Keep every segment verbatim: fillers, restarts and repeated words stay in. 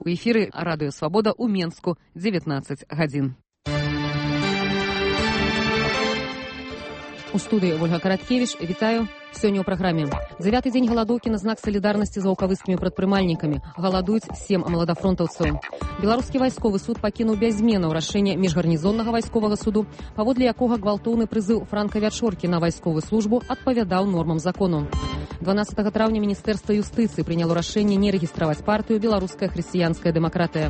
У эфіры Радыё Свабода ў Менску, дзевятнаццаць гадзін. У студыі Ольга Караткевіч, вітаю. Сёння ў праграме. Дзявяты дзень галадоўкі на знак салідарнасці з ваўкавыскімі прадпрымальнікамі. Галадуюць сем маладафронтаўцаў. Беларускі вайсковы суд пакінуў без зменаў рашэнне міжгарнізоннага вайсковага суду, паводле якога гвалтоўны прызыў Франка Вячоркі на вайсковую службу адпавядаў нормам закону. дванаццатага траўня Міністэрства юстыцыі прыняло рашэнне не рэгістраваць партыю «Беларуская хрысціянская дэмакратыя».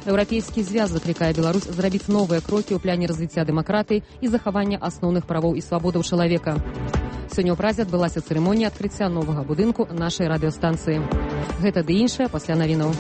Еўрапейскі звяз заклікае Беларусь зрабіць новыя крокі ў пляне развіцця дэмакратыі і захавання асноўных правоў і свабодаў чалавека. Сёння ў Празе адбылася цырымонія адкрыцця новага будынку нашай радыёстанцыі. Гэта ды іншае пасля навінаў.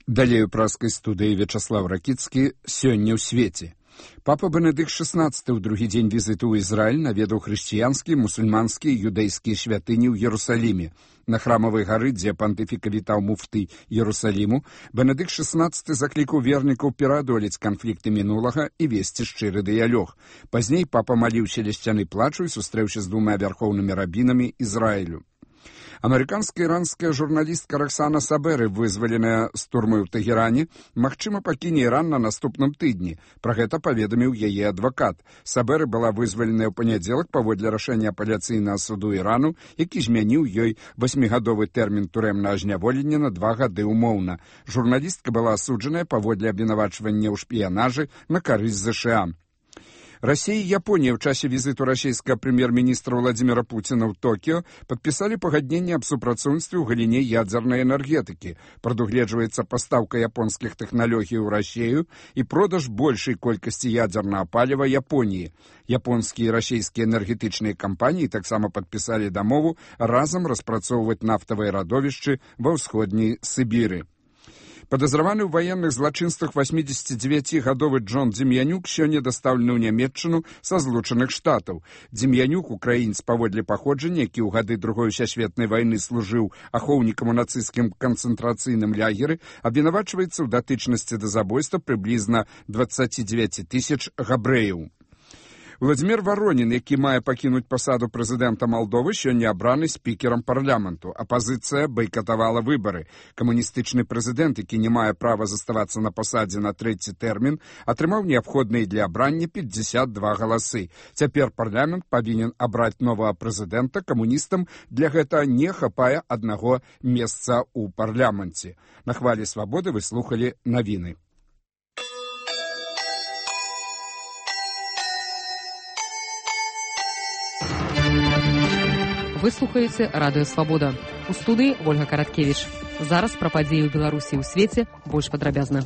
Далей у праскай студыі Вячаслав Ракіцкі. Сёння ў свеце. Папа Бенедыкт шаснаццаты ў другі дзень візіту ў Ізраіль наведаў хрысціянскія, мусульманскія і юдэйскія святыні ў Ерусаліме. На храмавай гары, дзе пантыфіка вітаў муфты Ерусаліму, Бенедыкт шаснаццаты заклікаў вернікаў пераадолець канфлікты мінулага і весці шчыры дыялог. Пазней папа маліўся ля сцяны плачу і сустрэўся з двума вярхоўнымі рабінамі Ізраілю. Амерыканская іранская журналістка Роксана Саберы, вызваленая з турмы ў Тэгеране, магчыма пакіне Іран на наступным тыдні. Пра гэта паведаміў яе адвакат. Саберы была вызваленая ў панядзелак паводле рашэння апеляцыйнага суду Ірану, які змяніў ёй васьмігадовы тэрмін турэмнага зняволення на два гады ўмоўна. Журналістка была асуджаная паводле абвінавачвання ў шпіянажы на карысць ЗША. Россия и Япония в часе визиту российского премьер-министра Владимира Путина в Токио подписали погоднение об супрацоўніцтве ў галіне ядзерной энергетики. Прадугледжваецца пастаўка японских технологий ў Россию и продаж большей колькасці ядзернага палива Японии. Японские и российские энергетычныя компании таксама подписали дамову разом распрацоўваць нафтавыя радовішчы ва ўсходняй Сібіры. Падазраваны ў ваенных злачынствах восьмідзесяцідзевяцігадовы Джон Дзем'янюк сёння дастаўлены ў Нямецчыну са Злучаных Штатаў. Дзем'янюк, украінец паводле паходжання, які ў гады Другой сусветнай вайны служыў ахоўнікам у нацысцкім канцэнтрацыйным лагеры, абвінавачваецца ў датычнасці да забойства прыблізна дваццаці дзевяці тысяч габрэяў. Владимир Воронин, які мае пакінуць пасаду прэзідэнта Малдовы, сёння абраны спікерам парламенту. Апазіцыя байкатавала выбары. Камуністычны прэзідэнт, які не мае права заставацца на пасадзе на трэці тэрмін, атрымаў неабходныя для абрання пятьдесят два галасы. Цяпер парламент павінен абраць новага прэзідэнта. Камуністам для гэта не хапае аднаго месца ў парламенце. На хвалі свабоды вы слухалі навіны. Вы слухаеце Радыё Свабода. У студыі Ольга Караткевіч. Зараз пра падзеі ў Беларусі і ў свеце больш падрабязна.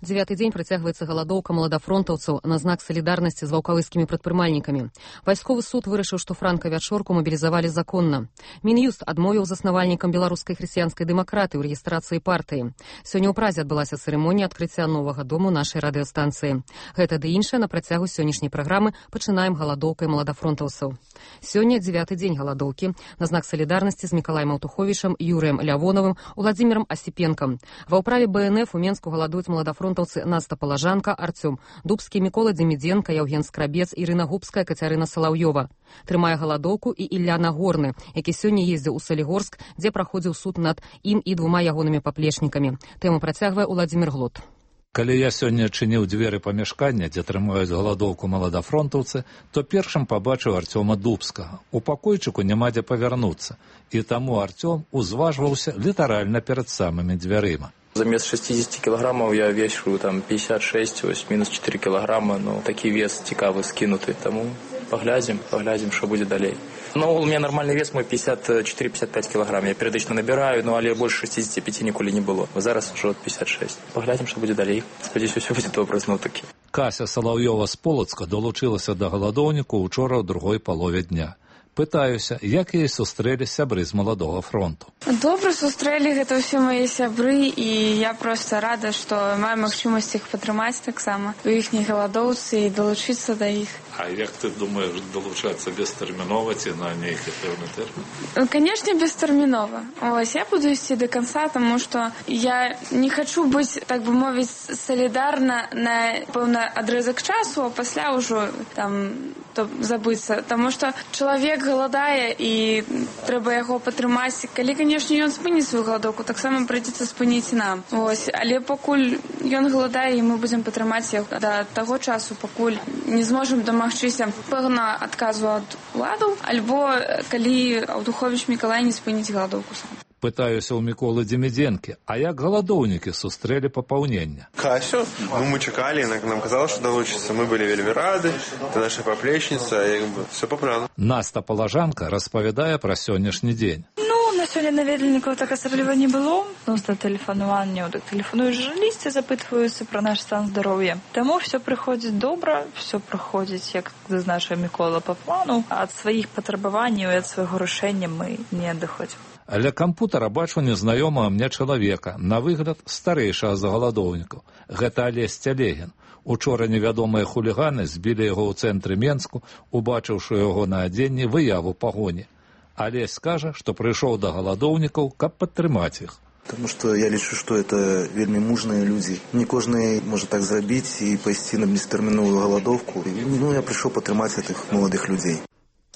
Дзявяты дзень працягваецца галадоўка маладафронтаўцаў на знак салідарнасці з ваўкавыскімі прадпрымальнікамі. Вайсковы суд вырашыў, што Франка Вячорку мабілізавалі законна. Мін'юст адмовіў заснавальнікам беларускай хрысціянскай дэмакратыі ў рэгістрацыі партыі. Сёння ў Празе адбылася цырымонія адкрыцця новага дому нашай радыёстанцыі. Гэта ды іншае на працягу сённяшняй праграмы пачынаем галадоўкай маладафронтаўцаў. Сёння дзявяты дзень галадоўкі на знак салідарнасці з Мікалаем Аўтуховічам, Юрыем Лявоновым, Уладзімірам Асіпенкам. Ва ўправе Бэ Эн Эф у Менску галадуюць маладафронтаўцы Наста Палажанка, Артём Дубскі, Мікола Дземідзенка, Яўген Скрабец, Ірына Губская, Кацярына Салаўёва. Трымае галадоўку і Ілля Нагорны, які сёння ездзіў у Салігорск, дзе праходзіў суд над ім і двума ягонымі паплечнікамі. Тэму працягвае Уладзімір Глот. Калі я сёння чыніў дзверы памяшкання, дзе трымаюць галадоўку маладафронтаўцы, то першым пабачыў Артёма Дубскага. У пакойчыку няма дзе павярнуцца, і таму Артём узважваўся літаральна перад самымі дзвярыма. Замест шестьдесят килограммов я вешу там пятьдесят шесть, ось минус четыре килограмма, но такі вес цікавы скинутый, тому поглядим, поглядим, что будет далей. Ну, у меня нормальный вес мой пятьдесят четыре — пятьдесят пять килограмм, я периодично набираю, но але больше шестидесяти пяти ніколі не было. Зараз уже пятьдесят шесть. Поглядим, что будет далей. Спадзяюся, все будет добра зноў-такі. Кася Салаўёва з Полацка долучылася да галадоўніку ўчора ў другой палове дня. Пытаюся, як яе сустрэлі сябры з маладога фронту. Добра сустрэлі, гэта ўсе мае сябры, і я проста рада, што маю магчымасць іх падтрымаць таксама у іхняй галадоўцы і далучыцца да іх. А як ты думаеш далучацца бестэрмінова ці на нейкі пэўны тэрмін? Канешне, бестэрмінова. Ось, я буду ісці да канца, таму што я не хачу быць, так бы мовіць, салідарна на пэўны адрэзак часу, а пасля ўжо там то забыцца, таму што чалавек галадае і трэба яго падтрымаць. Калі, канешне, ён спыніць сваю галадоўку, таксама прыйдзецца спыніць нам. Ось, але пакуль ён галадае, і мы будзем падтрымаць яго да таго часу, пакуль не зможам дамагчыся пэўна адказу ад уладаў, альбо калі Аўдуховіч Мікалай не спыніць галадоўку сам. Пытаюся ў Міколы Демідзенкі, а як галадоўнікі сустрэлі папаўнення? Касю, ну мы чакалі, нам казала, што далучыцца, мы былі вельмі рады, ты наша паплечніца, як бы, все па плану. Наста Палажанка распавядае пра сённяшні дзень. На сёння наведвальнікаў так асабліва не было. Просто тэлефанаванне, так тэлефануюць журналісты, запытваюцца пра наш стан здароўя. Таму все прыходзіць добра, все праходзіць, як зазначыў Мікола, па плану. Ад сваіх патрабаванняў і ад свайго рашэння мы не адыходзім. Ля кампутара бачу незнаёмага мне чалавека, на выгляд старэйшага за галадоўнікаў. Гэта Алесь Цялегін. Учора невядомыя хуліганы збілі яго ў цэнтры Менску, убачыўшы яго на адзенні выяву пагоні. Алесь скажа, што прыйшоў да галадоўнікаў, каб падтрымаць іх. Потому что я лічу, што это вельмі мужныя людзі. Не кожны можа так зрабіць і пайсці на бестэрміновую галадоўку. Ну, я прыйшоў падтрымаць гэтых маладых людзей.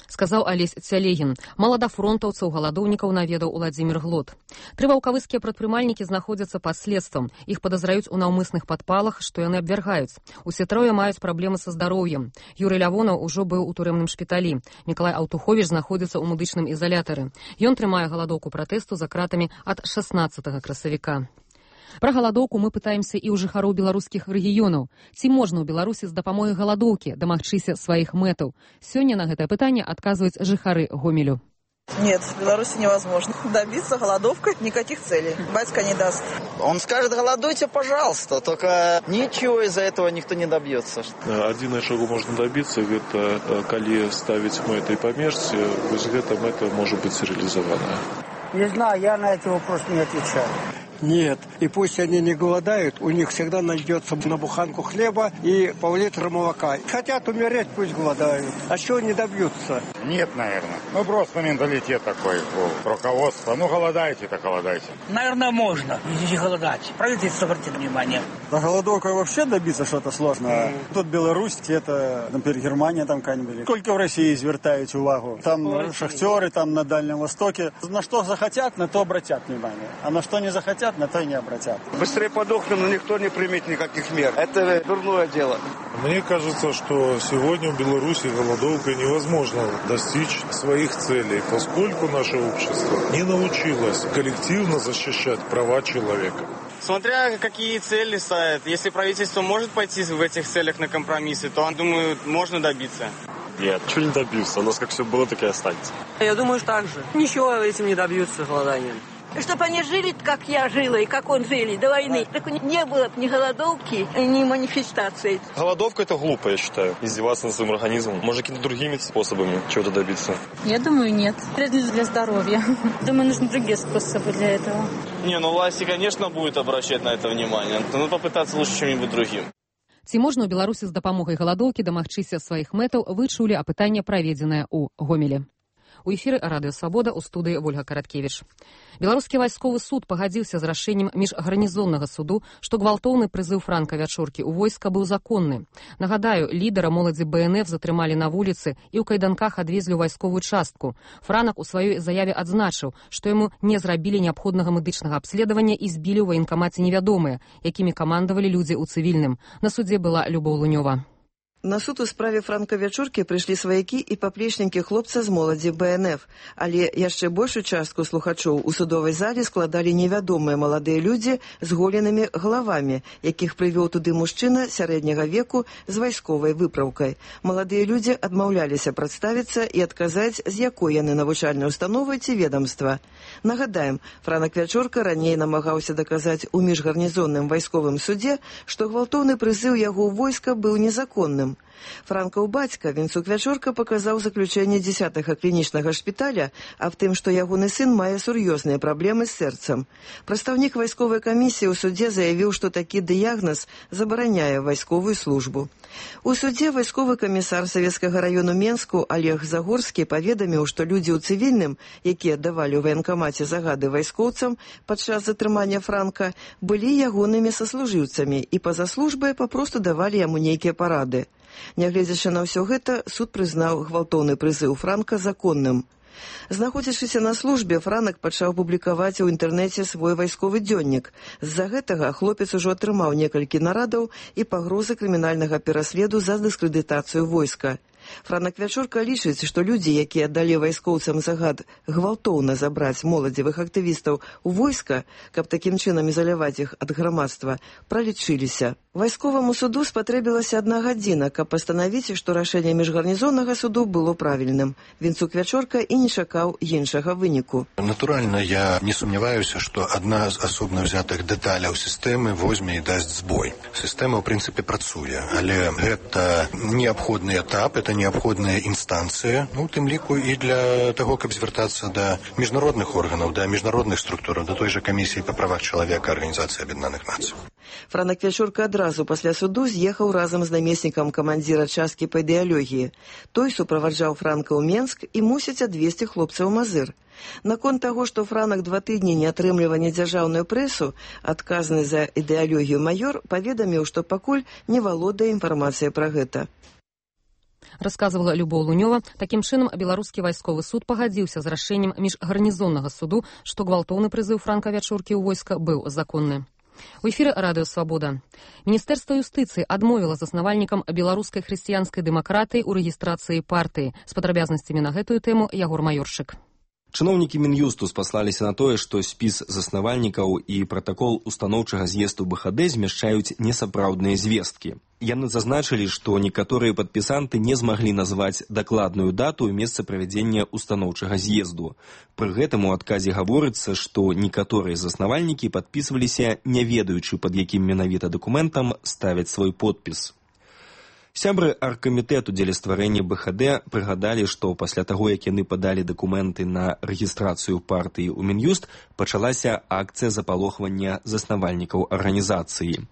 Сказаў Алесь Цялегін. Маладафронтаўцаў галадоўнікаў наведаў Уладзімір Глот. Тры ваўкавыскія прадпрымальнікі знаходзяцца пад следствам. Іх падазраюць у наўмысных падпалах, што яны абвяргаюць. Усе трое маюць праблемы са здароўем. Юрый Лявонаў ужо быў у турэмным шпіталі. Мікалай Аўтуховіч знаходзіцца ў медычным ізалятары. Ён трымае галадоўку пратэсту за кратамі ад шаснаццатага красавіка. Пра галадоўку мы пытаемся і ў жыхароў беларускіх рэгіёнаў. Ці можна ў Беларусі з дапамогай галадоўкі дамагчыся сваіх мэтаў? Сёння на гэтае пытанне адказваюць жыхары Гомелю. Нет, в Беларуси невозможно добиться голодовкой никаких целей. Батька не даст. Он скажет, голодуйте, пожалуйста, только ничего из-за этого никто не добьется. Один шагу можно добиться, это коли ставить мэты по мерсе, вот это мэта может быть реализована. Не знаю, я на этот вопрос не отвечаю. Нет, и пусть они не голодают, у них всегда найдется на буханку хлеба и пол-литра молока. Хотят умереть, пусть голодают. А чего не добьются? Нет, наверное. Ну, просто менталитет такой у руководства. Ну, голодайте, так голодайте. Наверное, можно, не голодать. Правительство обратит внимание. Да голодовкой вообще добиться что-то сложно. Mm. Тут Беларусь, это, например, Германия там какая-нибудь. Сколько в России звертают увагу? Там Ой, шахтеры, там на Дальнем Востоке. На что захотят, на то обратят внимание. А на что не захотят, на то и не обратят. Быстрее подохнем, но никто не примет никаких мер. Это дурное дело. Мне кажется, что сегодня в Беларуси голодовкой невозможно достичь своих целей, поскольку наше общество не научилось коллективно защищать права человека. Смотря какие цели ставят. Если правительство может пойти в этих целях на компромиссы, то, думаю, можно добиться. Нет, чего не добьются. У нас как все было, так и останется. Я думаю, так же. Ничего этим не добьются голоданием. Чтобы они жили, как я жила и как он жили до войны. Так не было ни голодовки, ни манифестаций. Голодовка – это глупо, я считаю. Издеваться над своим организмом. Может, какими-то другими способами чего-то добиться. Я думаю, нет. Вредно для здоровья. Думаю, нужны другие способы для этого. Не, ну власти, конечно, будут обращать на это внимание. Но попытаться лучше чем-нибудь другим. Ці можна ў Беларусі з дапамогай галадоўкі дамагчыся сваіх мэтаў, вы чулі апытанне, праведзенае ў Гомелі. У эфіры Радыё Свабода, у студыі Вольга Караткевіч. Беларускі вайсковы суд пагадзіўся з рашэннем міжгарнізоннага суду, што гвалтоўны прызыў Франка Вячоркі ў войска быў законны. Нагадаю, лідара моладзі бэ эн эф затрымалі на вуліцы і ў кайданках адвезлі ў вайсковую частку. Франак у сваёй заяве адзначыў, што яму не зрабілі неабходнага медычнага абследавання і збілі ў ваенкамаце невядомыя, якімі камандавалі людзі ў цывільным. На судзе была Любоў Лунёва. На суд у справе Франка Вячоркі прыйшлі сваякі і паплечнікі хлопца з моладзі бэ эн эф, але яшчэ большую частку слухачоў у судовай зале складалі невядомыя маладыя людзі з голенымі галавамі, якіх прывёў туды мужчына сярэдняга веку з вайсковай выпраўкай. Маладыя людзі адмаўляліся прадставіцца і адказаць, з якой яны навучальнай установы ці ведамства. Нагадаем, Франак Вячорка раней намагаўся даказаць у міжгарнізонным вайсковым судзе, што гвалтоўны прызыў яго ў войска быў незаконным. Франкаў бацька Вінцук Вячорка паказаў заключэнне дзесятага клінічнага шпіталя аб тым, што ягоны сын мае сур'ёзныя праблемы з сэрцам. Прадстаўнік вайсковай камісіі ў судзе заявіў, што такі дыягназ забараняе вайсковую службу. У судзе вайсковы камісар Савецкага раёну Менску Олег Загорскі паведаміў, што людзі ў цывільным, якія давалі ў ваенкамаце загады вайскоўцам падчас затрымання Франка, былі ягонымі саслужыўцамі і па-за службай папросту давалі яму нейкія парады. Нягледзячы на ўсё гэта, суд прызнаў гвалтоўны прызыў Франка законным. Знаходзячыся на службе, Франак пачаў публікаваць у інтэрнэце свой вайсковы дзённік. З-за гэтага хлопец ужо атрымаў некалькі нарадаў і пагрозы крымінальнага пераследу за дыскрэдытацыю войска. Франак Вячорка лічыць, што людзі, якія далі вайскоўцам загад гвалтоўна забраць моладзевых актывістаў у войска, каб такім чынам ізаляваць іх ад грамадства, пралічыліся. Вайсковаму суду спатрэбілася адна гадзіна, каб пастанавіць, што рашэнне міжгарнізоннага суду было правільным. Вінцук Вячорка і не чакаў іншага выніку. Натуральна, я не сумняваюся, што адна з асобна ўзятых дэталяў сістэмы возьме і дасць збой. Сістэма, ў прынцыпе, працуе, але гэта неабходны этап, это неабходная інстанцыя, ну, у тым ліку і для таго, каб звяртацца да міжнародных органаў, да міжнародных структураў, да той жа камісіі па правах чалавека Арганізацыі Аб'яднаных Нацый. Франак Вячорка адразу пасля суду з'ехаў разам з намеснікам камандзіра часткі па ідэалогіі. Той суправаджаў Франка ў Менск і мусіць адвезці хлопца ў Мазыр. Наконт таго, што Франак два тыдні не атрымлівае дзяржаўную прэсу, адказны за ідэалогію маёр паведаміў, што пакуль не валодае інфармацыяй пра гэта. Расказывала Любоў Лунёва. Такім чынам, беларускі вайсковы суд пагадзіўся з рашэннем міжгарнізоннага суду, што гвалтоўны прызыў Франка Вячоркі ў войска быў законны. У эфіры радыё «Свабода». Міністэрства юстыцыі адмовіла заснавальнікам беларускай хрысціянскай дэмакратыі ў рэгістрацыі партыі. З падрабязнасцямі на гэтую тэму Ягор Маёршык. Чыноўнікі Мін'юсту спаслаліся на тое, што спіс заснавальнікаў і пратакол устаноўчага з'езду БХД змяшчаюць несапраўдныя звесткі. Яны зазначылі, што некаторыя падпісанты не змаглі назваць дакладную дату і месца правядзення устаноўчага з'езду. Пры гэтым у адказе гаворыцца, што некаторыя заснавальнікі падпісваліся, не ведаючы, пад якім менавіта дакументам ставяць свой подпіс. Сябры аргкамітэту дзеля стварэння БХД прыгадалі, што пасля таго, як яны падалі дакументы на рэгістрацыю партыі ў Мін'юст, пачалася акцыя запалохвання заснавальнікаў арганізацыі.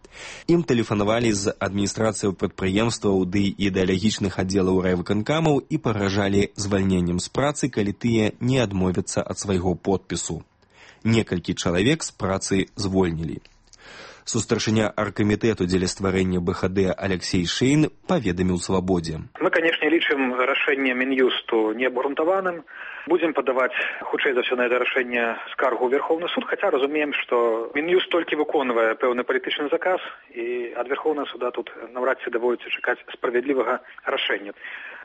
Ім тэлефанавалі з адміністрацыяў прадпрыемстваў ды ідэалагічных аддзелаў райвыканкамаў і пагражалі звальненнем з працы, калі тыя не адмовяцца ад свайго подпісу. Некалькі чалавек з працы звольнілі. Сустаршыня аргкамітэту дзеля стварэння БХД Алексей Шейн паведаміў «Свабодзе». Мы, канешне, лічым рашэнне Мін'юсту неабгрунтаваным. Будзем падаваць, хутчэй за ўсё, на гэта рашэнне скаргу ў Верховны суд, хаця разумеем, што Мін'юст толькі выконвае пэўны палітычны заказ, і ад Верховнага суда тут наўрад ці даводіцца чакаць справядлівага рашэння.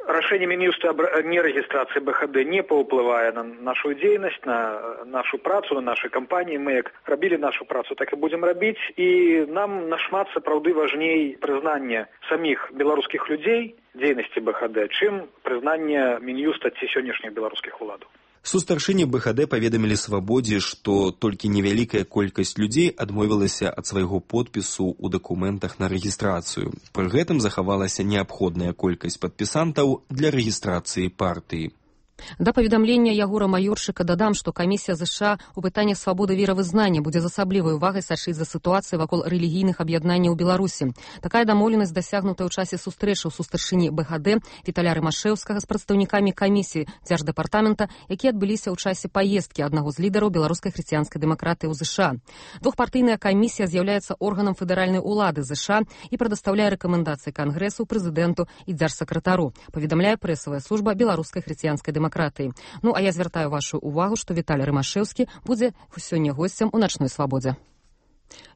Рашэнне Мін'юста аб нерэгістрацыі БХД не паўплывае на нашу дзейнасць, на нашу працу, на нашай кампаніі. Мы як рабілі нашу працу, так і будзем рабіць. І нам нашмат сапраўды важней прызнанне саміх беларускіх людзей дзейнасці БХД, чым прызнанне Мін'юста ці сённяшніх беларускіх уладаў. Сустаршыні БХД паведамілі «Свабодзе», што толькі невялікая колькасць людзей адмовілася ад свайго подпісу ў дакументах на рэгістрацыю. Пры гэтым захавалася неабходная колькасць падпісантаў для рэгістрацыі партыі. Да паведамлення Ягора Маёршыка дадам, што камісія ЗША ў пытаннях свабоды веравызнання будзе з асаблівай увагай сачыць за сітуацыяй вакол рэлігійных аб'яднанняў у Беларусі. Такая дамоўленасць дасягнутая ў часе сустрэчы ў сустаршыні БХД Віталя Рымашэўскага з прадстаўнікамі камісіі дзярждэпартамента, якія адбыліся ў часе паездкі аднаго з лідараў беларускай хрысціянскай дэмакратыі ў ЗША. Двухпартыйная камісія з'яўляецца органам федэральнай улады ЗША і прадастаўляе рэкамендацыі Кангрэсу, прэзідэнту і дзяржсакратару, паведамляе прэсавая служба беларускай хрысціянскай дэмакратыі. Ну, а я звяртаю вашу увагу, што Віталь Рымашэўскі будзе сёння госцем у начной свабодзе.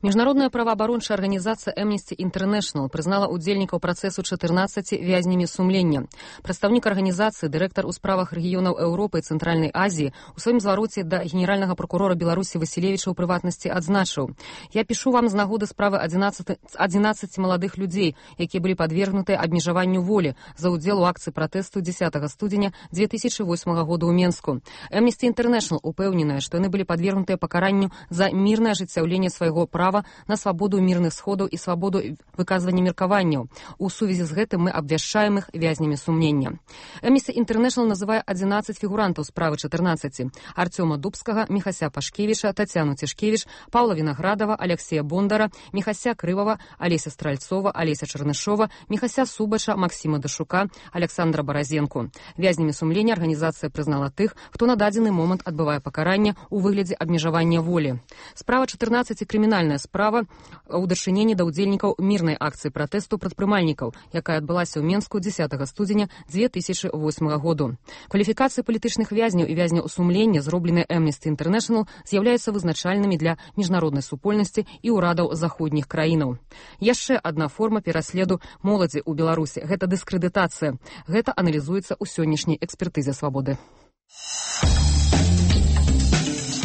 Міжнародная праваабарончая арганізацыя Amnesty International прызнала ўдзельнікаў працэсу чатырнаццаці вязнямі сумлення. Прадстаўнік арганізацыі, дырэктар у справах рэгіёнаў Еўропы і Цэнтральнай Азіі у сваім звароце да генеральнага пракурора Беларусі Васілевіча ў прыватнасці адзначыў: «Я пішу вам з нагоды справы адзінаццаці маладых людзей, якія былі падвергнутыя абмежаванню волі за ўдзел у акцыі пратэсту дзесятага студзеня дзве тысячы восьмага года ў Менску. Amnesty International упэўненая, што яны былі падвергнутыя пакаранню за мірнае ажыццяўленне свайго яго права на свабоду мірных сходаў і свабоду выказвання меркаванняў. У сувязі з гэтым мы абвяшчаем іх вязнямі сумнення. Amnesty International называе адзінаццаць фігурантаў справы чатырнаццаці: Артёма Дубскага, Міхася Пашкевіча, Тацяну Цішкевіч, Паўла Вінаградава, Алексея Бондара, Міхася Крывава, Алеся Стральцова, Алеся Чарнышова, Міхася Субача, Максима Дашука, Александра Баразенко. Вязнямі сумлення арганізацыя прызнала тых, хто на дадзены момант адбывае пакаранне ў выглядзе абмежавання волі. Справа чатырнаццаці крымінальная справа ў дачыненні да ўдзельнікаў мірнай акцыі пратэсту прадпрымальнікаў, якая адбылася ў Менску дзесятага студзеня дзве тысячы восьмага году. Кваліфікацыі палітычных вязняў і вязняў сумлення, зробленыя Amnesty International, з'яўляюцца вызначальнымі для міжнароднай супольнасці і ўрадаў заходніх краінаў. Яшчэ адна форма пераследу моладзі ў Беларусі – гэта дыскрэдытацыя. Гэта аналізуецца ў сённяшняй экспертызе свабоды.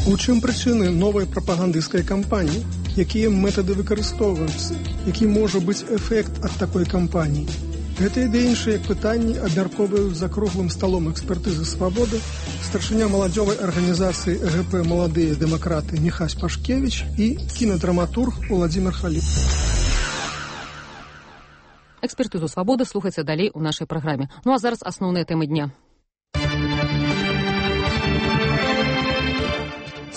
У чым прычыны новай прапагандысцкай кампаніі? Якія метады выкарыстоўваюцца? Які можа быць эфект ад такой кампаніі? Гэта і іншыя пытанні абмяркоўваюць за круглым сталом экспертызы свабоды старшыня маладзёвай арганізацыі э гэ пэ «Маладыя дэмакраты» Міхась Пашкевіч і кінадраматург Уладзімір Халіп. Экспертызу свабоды слухайце далей у нашай праграме. Ну а зараз асноўныя тэмы дня.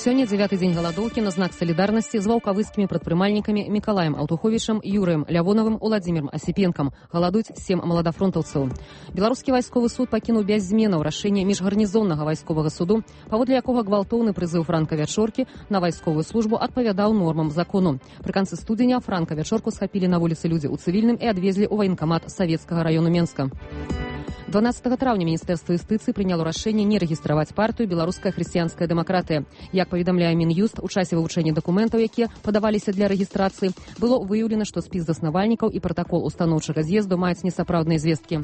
Сёння дзявяты дзень галадоўкі на знак салідарнасці з ваўкавыскімі прадпрымальнікамі Мікалаем Аўтуховічам, Юрыем Лявонавым, Уладзімірам Асіпенкам. Галадуюць сем маладафронтаўцаў. Беларускі вайсковы суд пакінуў без зменаў рашэнне міжгарнізоннага вайсковага суду, паводле якога гвалтоўны прызыў Франка Вячоркі на вайсковую службу адпавядаў нормам закону. Пры канцы студзеня Франка Вячорку схапілі на вуліцы людзі ў цывільным і адвезлі ў ваенкамат Савецкага раёну Менска. дванаццатага траўня Міністэрства юстыцыі прыняло рашэнне не рэгістраваць партыю «Беларуская хрысціянская дэмакратыя». Як паведамляе Мін'юст, у часе вывучэння дакументаў, якія падаваліся для рэгістрацыі, было выяўлена, што спіс заснавальнікаў і пратакол устаноўчага з'езду маюць несапраўдныя звесткі.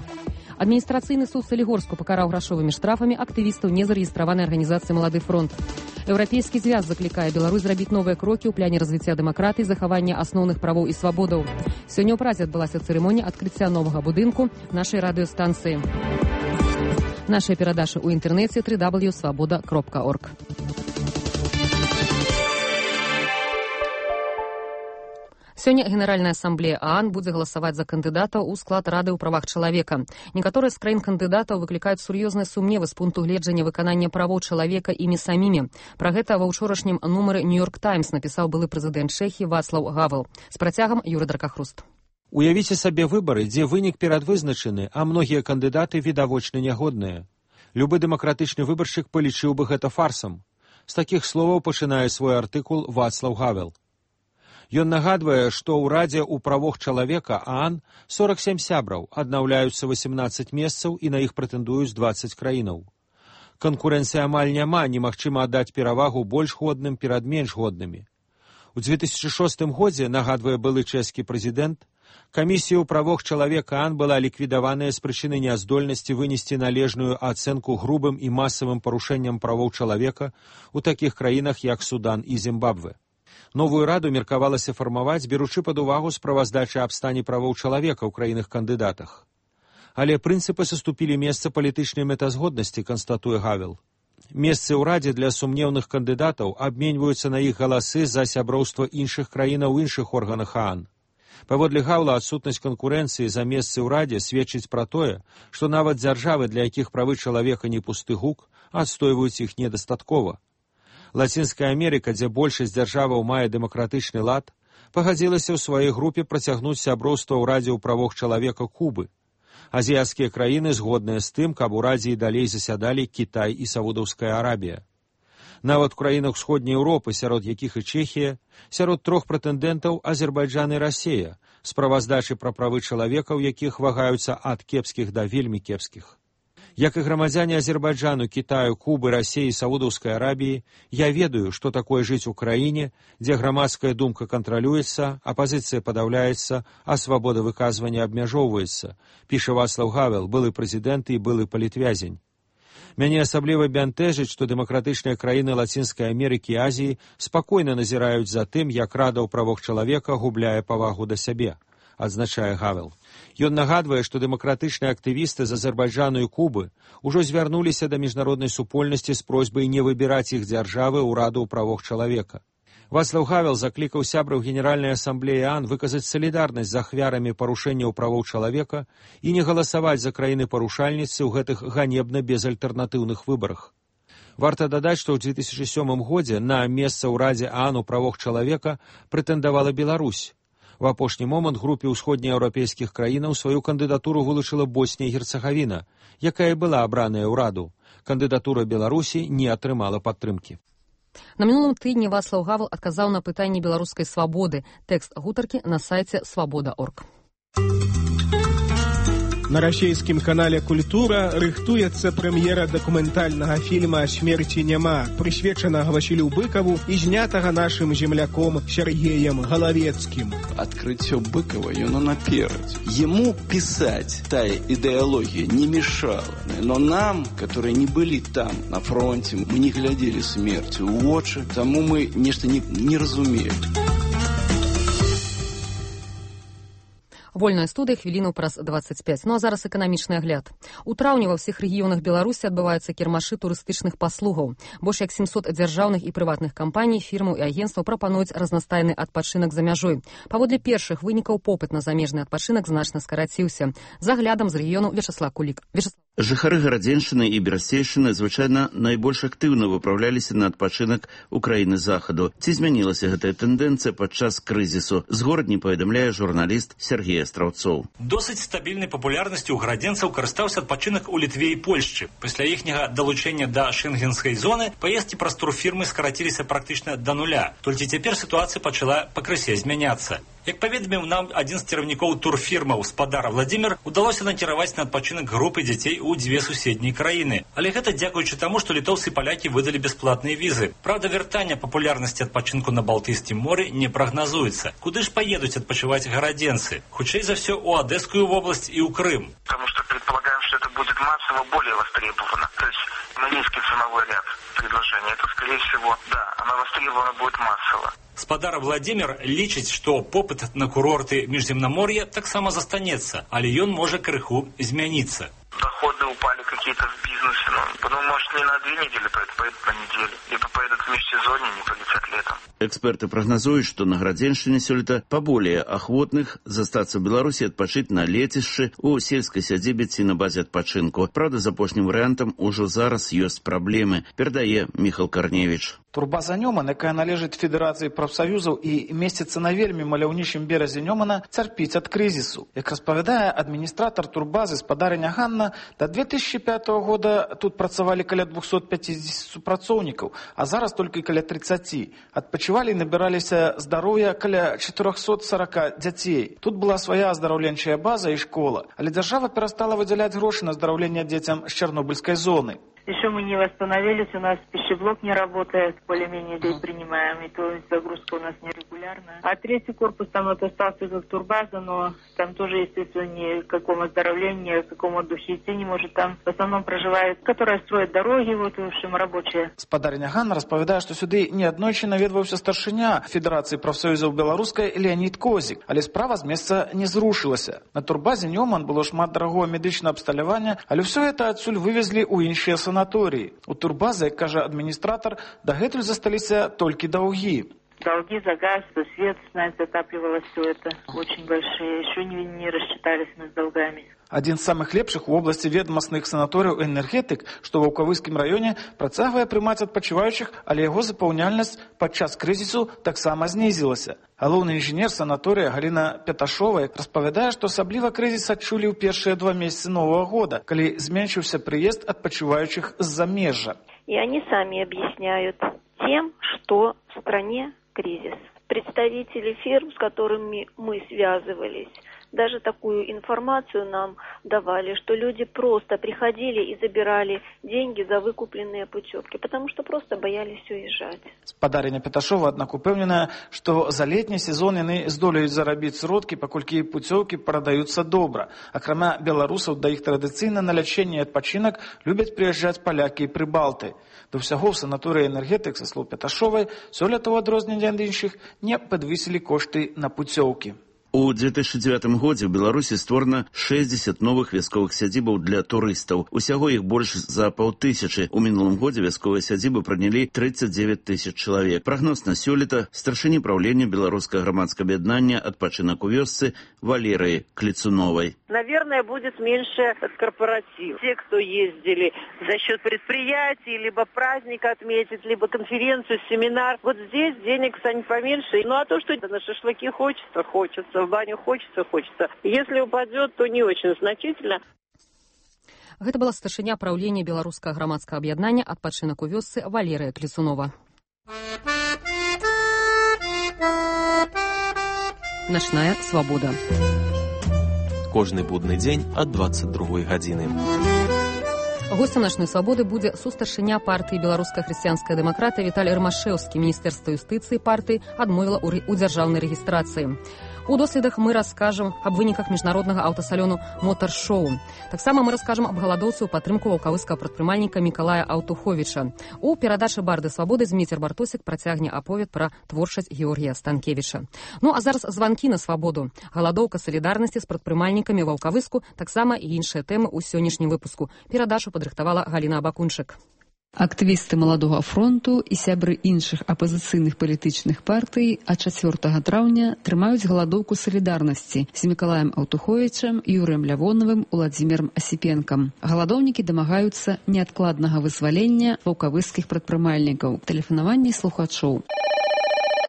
Адміністрацыйны суд Салігорску пакараў грашовымі штрафамі актывістаў незарэгістраванай арганізацыі «Малады фронт». Еўрапейскі звяз заклікае Беларусь зрабіць новыя крокі ў пляне развіцця дэмакратыі, захавання асноўных правоў і свабодаў. Сёння ў Празе адбылася цырымонія адкрыцця новага будынку нашай радыёстанцыі. Нашыя перадачы ў інтэрнэце дабл ю дабл ю дабл ю крапка свабода крапка орг. Сёння Генеральная асамблея ААН будзе галасаваць за кандыдатаў у склад Рады ў правах чалавека. Некаторыя з краін кандыдатаў выклікаюць сур'ёзныя сумневы з пункту гледжання выканання правоў чалавека імі самімі. Пра гэта ва ўчорашнім нумары «Нью-Йорк Таймс» напісаў былы прэзідэнт Чэхіі Вацлаў Гавел. З працягам Юры Дракахруст. Уявіце сабе выбары, дзе вынік перадвызначаны, а многія кандыдаты відавочна нягодныя. Любы дэмакратычны выбаршчык палічыў бы гэта фарсам. З такіх словаў пачынае свой артыкул Вацлаў Гавел. Ён нагадвае, што ў Радзе ў правах чалавека ААН сорак сем сябраў, аднаўляюцца васемнаццаць месцаў і на іх прэтэндуюць дваццаць краінаў. Канкурэнцыі амаль няма, немагчыма аддаць перавагу больш годным перад менш годнымі. У дзве тысячы шостым годзе, нагадвае былы чэшскі прэзідэнт, камісія ў правах чалавека ААН была ліквідаваная з прычыны няздольнасці вынесці належную ацэнку грубым і масавым парушэнням правоў чалавека ў такіх краінах, як Судан і Зімбабве. Новую раду меркавалася фармаваць, беручы пад увагу справаздачы аб стане правоў чалавека ў краінах-кандыдатах. Але прынцыпы саступілі месца палітычнай мэтазгоднасці, канстатуе Гавел. Месцы ў Радзе для сумнеўных кандыдатаў абменьваюцца на іх галасы за сяброўства іншых краінаў у іншых органах ААН. Паводле Гаўла, адсутнасць канкурэнцыі за месцы ў Радзе сведчыць пра тое, што нават дзяржавы, для якіх правы чалавека не пусты гук, адстойваюць іх недастаткова. Лацінская Амерыка, дзе большасць дзяржаваў мае дэмакратычны лад, пагадзілася ў сваёй групе працягнуць сяброўства ў Радзе ў правах чалавека Кубы. Азіяцкія краіны згодныя з тым, каб у Радзе і далей засядалі Кітай і Саудаўская Арабія. Нават у краінах Усходняй Еўропы, сярод якіх і Чэхія, сярод трох прэтэндэнтаў Азербайджан і Расія, справаздачы пра правы чалавека, у якіх вагаюцца ад кепскіх да вельмі кепскіх. Як і грамадзяне Азербайджану, Кітаю, Кубы, Расіі і Саудаўскай Арабіі, я ведаю, што такое жыць у краіне, дзе грамадская думка кантралюецца, апазіцыя падаўляецца, а свабода выказвання абмяжоўваецца, піша Вацлаў Гавел, былы прэзідэнт і былы палітвязень. Мяне асабліва бянтэжыць, што дэмакратычныя краіны Лацінскай Амерыкі і Азіі спакойна назіраюць за тым, як Рада ў правах чалавека губляе павагу да сябе, адзначае Гавел. Ён нагадвае, што дэмакратычныя актывісты з Азербайджану і Кубы ўжо звярнуліся да міжнароднай супольнасці з просьбай не выбіраць іх дзяржавы ў Раду ў правах чалавека. Вацлаў Гавел заклікаў сябраў Генеральнай асамблеі ААН выказаць салідарнасць з ахвярамі парушэнняў правоў чалавека і не галасаваць за краіны-парушальніцы ў гэтых ганебна безальтэрнатыўных выбарах. Варта дадаць, што ў две тысячы сёмым годзе на месца ў Радзе ААН у правах чалавека прэтэндавала Беларусь. В апошні момант групе ўсходнееўрапейскіх краінаў сваю кандыдатуру вылучыла Боснія і Герцагавіна, якая была абраная ў Раду. Кандыдатура Беларусі не атрымала падтрымкі. На мінулым тыдні Вацлаў Гавел адказаў на пытанні беларускай свабоды. Тэкст гутаркі на сайце свабода точка орг. На расійскім канале «Культура» рыхтуецца прэм'ера дакументальнага фільма «Смерці няма», прысвечанага Васілю Быкаву і знятага нашым земляком Сергеем Галавецкім. Открытие Быкова, оно наперед. Ему писать тая идеология не мешала. Но нам, которые не были там, на фронте, мы не глядели смерти в очи, тому мы нечто не, не разумеем. Вольная студыя, хвіліну праз дваццаць пяць. Ну а зараз эканамічны агляд. У траўні ва ўсіх рэгіёнах Беларусі адбываюцца кірмашы турыстычных паслугаў. Больш як сямсот дзяржаўных і прыватных кампаній, фірмаў і агенцтваў прапануюць разнастайны адпачынак за мяжой. Паводле першых вынікаў попыт на замежны адпачынак значна скараціўся. За аглядам з рэгіёну Вячаслав Кулік. Вячаслав. Жыхары Гарадзеншчыны і Берасцейшчыны звычайна найбольш актыўна выпраўляліся на адпачынак у краіны захаду. Ці змянілася гэтая тэндэнцыя падчас крызісу? З горадні паведамляе журналіст Сергей Астраўцоў. Досыць стабільнай папулярнасцю ў гарадзенцаў карыстаўся адпачынак у Літве і Польшчы. Пасля іхняга далучэння да шэнгенскай зоны паездкі праз турфірмы скараціліся практычна да нуля. Толькі цяпер сітуацыя пачала пакрысе змяняцца. Як паведаміў нам адзін з кіраўнікоў турфірмаў спадара Владзімір, удалося накіраваць на адпачынак групы дзяцей у дзве суседнія краіны. Але гэта дзякуючы таму, што літоўцы і палякі выдалі бясплатныя візы. Правда, вяртання папулярнасці адпачынку на Балтыйскім моры не прагназуецца. Куды ж паедуць адпачываць гарадзенцы? Хутчэй за все у Одесскую область и у Крым. Потому что предполагаем, что это будет массово более востребовано. То есть на низкий ценовой ряд предложения. Это, скорее всего, да, она востребована будет массово. Спадар Владимир лічыць, што попыт на курорты міжземнамор'я таксама застанецца, але ён можа крыху змяніцца. Доходы упали какие-то в бизнесе, но потом, может, не на две недели поедут, поедут на неделю. Либо поедут в межсезонье, не полетят летом. Эксперты прогнозуют, что на Гарадзеншчыне сёлета поболее охотных застаться в Беларуси отпочить на лецішчы у сельской сядзібе ці на базе адпачынку. Правда, з апошнім варыянтам ужо зараз ёсць праблемы, перадае Міхал Карневіч. Турбаза Нёман, якая належыць Федэрацыі прафсаюзаў і месціцца на вельмі маляўнічым беразе Нёмана, цярпіць ад крызісу. Як распавядае адміністратар турбазы спадарыня Ганна, до две тысячи пятого года тут працавалі каля двухсот пятидесяти супрацоўнікаў, а зараз толькі каля тридцати. Адпачывалі і набіраліся здароўя каля четырёхсот сорока дзяцей. Тут была свая аздараўленчая база і школа, але дзяржава перастала выдзяляць грошы на аздараўленне дзецям з Чарнобыльскай зоны. Еще мы не восстановились, у нас пищеблок не работает, более-менее здесь принимаем, и то загрузка у нас нерегулярная. А третий корпус, там вот остался как турбаза, но там тоже, естественно, ни к какому оздоровлению, ни к какому отдухе идти не может. Там в основном проживает, которая строит дороги, вот, в общем, рабочие. Спадарыня Ганна распавядае, што сюды неаднойчы наведваўся старшыня Федэрацыі прафсаюзаў беларускай Леонид Козік, але справа з месца не зрушылася. На турбазе Нёман было шмат дарагого медычнага абсталявання, але ўсё гэта адсюль вывезлі ў іншыя санаторыі. У турбазы, як кажа адміністратар, дагэтуль засталіся толькі даўгі. Долги за газ, за свет, знаете, отапливалось все это очень большие. Еще не, не рассчитались мы с долгами. Адзін з самых лепшых у обласці ведомасных санаторыяў энергетык, што ва Ўкавыскім раёне, працягвае прымаць адпачываючых, але яго запаўняльнасць падчас крызісу таксама знізілася. Галоўны інжынер санаторыя Галіна Пяташова распавядае, што асабліва крызіс адчулі ў першыя два месяцы новага года, калі зменшыўся прыезд адпачываючых з замежжа. И они сами объясняют тем, что в стране кризис. Представители фирм, с которыми мы связывались, даже такую информацию нам давали, что люди просто приходили и забирали деньги за выкупленные путевки, потому что просто боялись уезжать. Спадарыня Пяташова, аднак, упэўненая, што за летні сезон яны здолеюць зарабіць сродкі, паколькі путевкі прадаюцца добра. Акрамя беларусаў, да іх традыцыйна на лячэнне і адпачынак любяць прыязджаць палякі і прыбалты. Да ўсяго ў санаторыі энергетык, са слоў Пяташовай, сёлета ў адрозненне ад іншых не падвысілі кошты на путевкі. У две тысячи девятым годзе ў Беларусі створана шэсцьдзесят новых вясковых сядзібаў для турыстаў. Усяго іх больш за паўтысячы. У мінулым годзе вясковыя сядзібы прынялі тридцать девять тысяч чалавек. Прагноз на сёлета старшыні праўлення беларускага грамадскага аб'яднання «Адпачынак у вёсцы» Валерыі Клецуновой. Наверное, будет меньше корпоратив. Те, кто ездили за счет предприятий, либо праздник отметить, либо конференцию, семинар. Вот здесь денег станет поменьше. Ну а то, что на шашлыки хочется, хочется, в баню хочется, хочется. Если упадет, то не очень значительно. Гэта была старшыня праўлення беларускага грамадскага аб'яднання «Адпачынак у вёсцы» Валерыя Клецунова. Начная свабода. Кожны будны дзень ад двадцать другой гадзіны. Гостем «Начной свабоды» будзе сустаршыня партыі «Беларуская хрысціянская дэмакратыя» Віталій Рамашэўскі. Міністэрства юстыцыі партыі адмовіла ў дзяржаўнай рэгістрацыі. У доследах мы раскажам аб выніках міжнароднага аўтасалёну «Мотар-шоу». Таксама мы раскажам аб галадоўцы ў падтрымку ваўкавыскага прадпрымальніка Мікалая Аўтуховіча. У перадачы «Барды свабоды» Зміцер Бартосік працягне аповед пра творчасць Георгія Станкевіча. Ну а зараз званкі на свабоду. Галадоўка салідарнасці з прадпрымальнікамі ваўкавыску, таксама і іншыя тэмы ў сённяшнім выпуску. Перадачу падрыхтавала Галіна Абакунчык. Актывісты Маладога фронту і сябры іншых апазіцыйных палітычных партый а чацвёртага траўня трымаюць галадоўку салідарнасці з Мікалаем Аўтуховічам, Юрыем Лявоновым, Уладзімірам Асіпенкам. Галадоўнікі дамагаюцца неадкладнага вызвалення ваўкавыскіх прадпрымальнікаў. Тэлефанаванне слухачоў.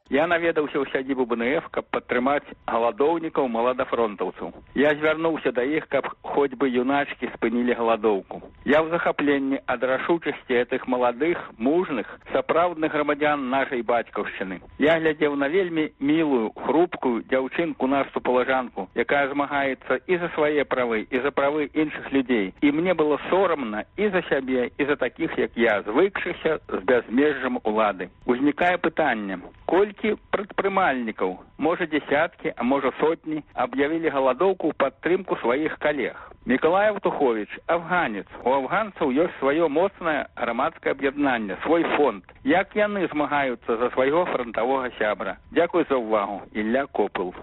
Я наведаўся ў сядзібу бэ эн эф, каб падтрымаць галадоўнікаў маладафронтаўцаў. Я звярнуўся да іх, каб хоць бы юначкі спынілі галадоўку. Я ў захапленні ад рашучасці гэтых маладых, мужных, сапраўдных грамадзян нашай бацькаўшчыны. Я глядзеў на вельмі мілую, хрупкую дзяўчынку нашу палажанку, якая змагаецца і за свае правы, і за правы іншых людзей. І мне было сорамна і за сябе, і за такіх, як я, звыкшыся з бязмежжам улады. Узнікае пытанне, колькі прадпрымальнікаў, можа дзесяткі, а можа сотні, аб'явілі галадоўку ў падтрымку сваіх калег. Мікалай Аўтуховіч – афганец. У афганцаў ёсць сваё моцнае грамадскае аб'яднанне, свой фонд. Як яны змагаюцца за свайго фронтового сябра? Дзякуй за увагу. Ілля Копыл.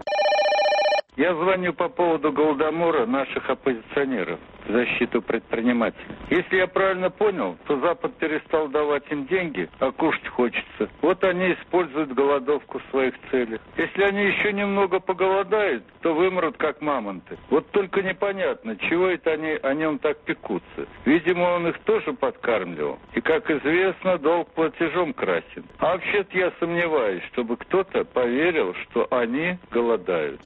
Я звоню по поводу голодомора наших оппозиционеров в защиту предпринимателей. Если я правильно понял, то Запад перестал давать им деньги, а кушать хочется. Вот они используют голодовку в своих целях. Если они еще немного поголодают, то вымрут как мамонты. Вот только непонятно, чего это они о нем так пекутся. Видимо, он их тоже подкармливал. И, как известно, долг платежом красен. А вообще-то я сомневаюсь, чтобы кто-то поверил, что они голодают.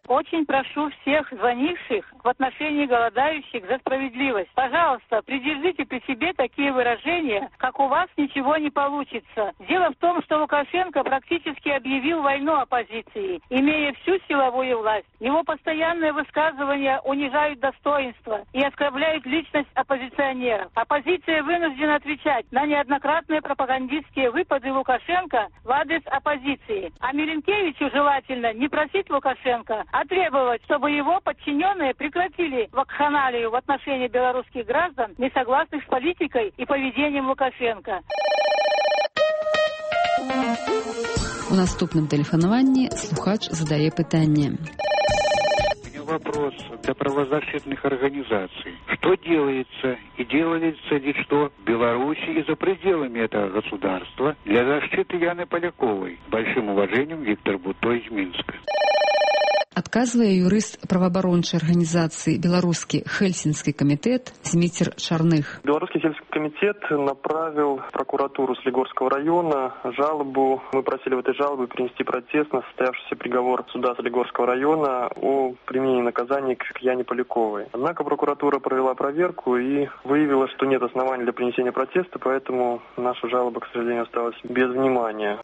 Очень прошу всех звонивших в отношении голодающих за справедливость. Пожалуйста, придержите при себе такие выражения, как «у вас ничего не получится». Дело в том, что Лукашенко практически объявил войну оппозиции, имея всю силовую власть. Его постоянные высказывания унижают достоинство и оскорбляют личность оппозиционеров. Оппозиция вынуждена отвечать на неоднократные пропагандистские выпады Лукашенко в адрес оппозиции. А Миленкевичу желательно не просить Лукашенко, а требовать, чтобы его подчиненные прекратили вакханалию в отношении белорусских граждан, не согласных с политикой и поведением Лукашенко. У наступным тэлефанаванні слухач задае пытанне. Вопрос для правозащитных организаций. Что делается и делается ли что в Беларуси и за пределами этого государства для защиты Яны Поляковой? С большим уважением, Виктор Бутой из Минска. Адказвае юрыст праваабарончай арганізацыі «Беларускі Хельсінскі камітэт» Зміцер Чарных. Белорусский сельский комитет направил в прокуратуру Солигорского района жалобу. Мы просили в этой жалобе принести протест на состоявшийся приговор суда Солигорского района о применении наказания к Яне Поляковой. Однако прокуратура провела проверку и выявила, что нет оснований для принесения протеста, поэтому наша жалоба, к сожалению, осталась без внимания.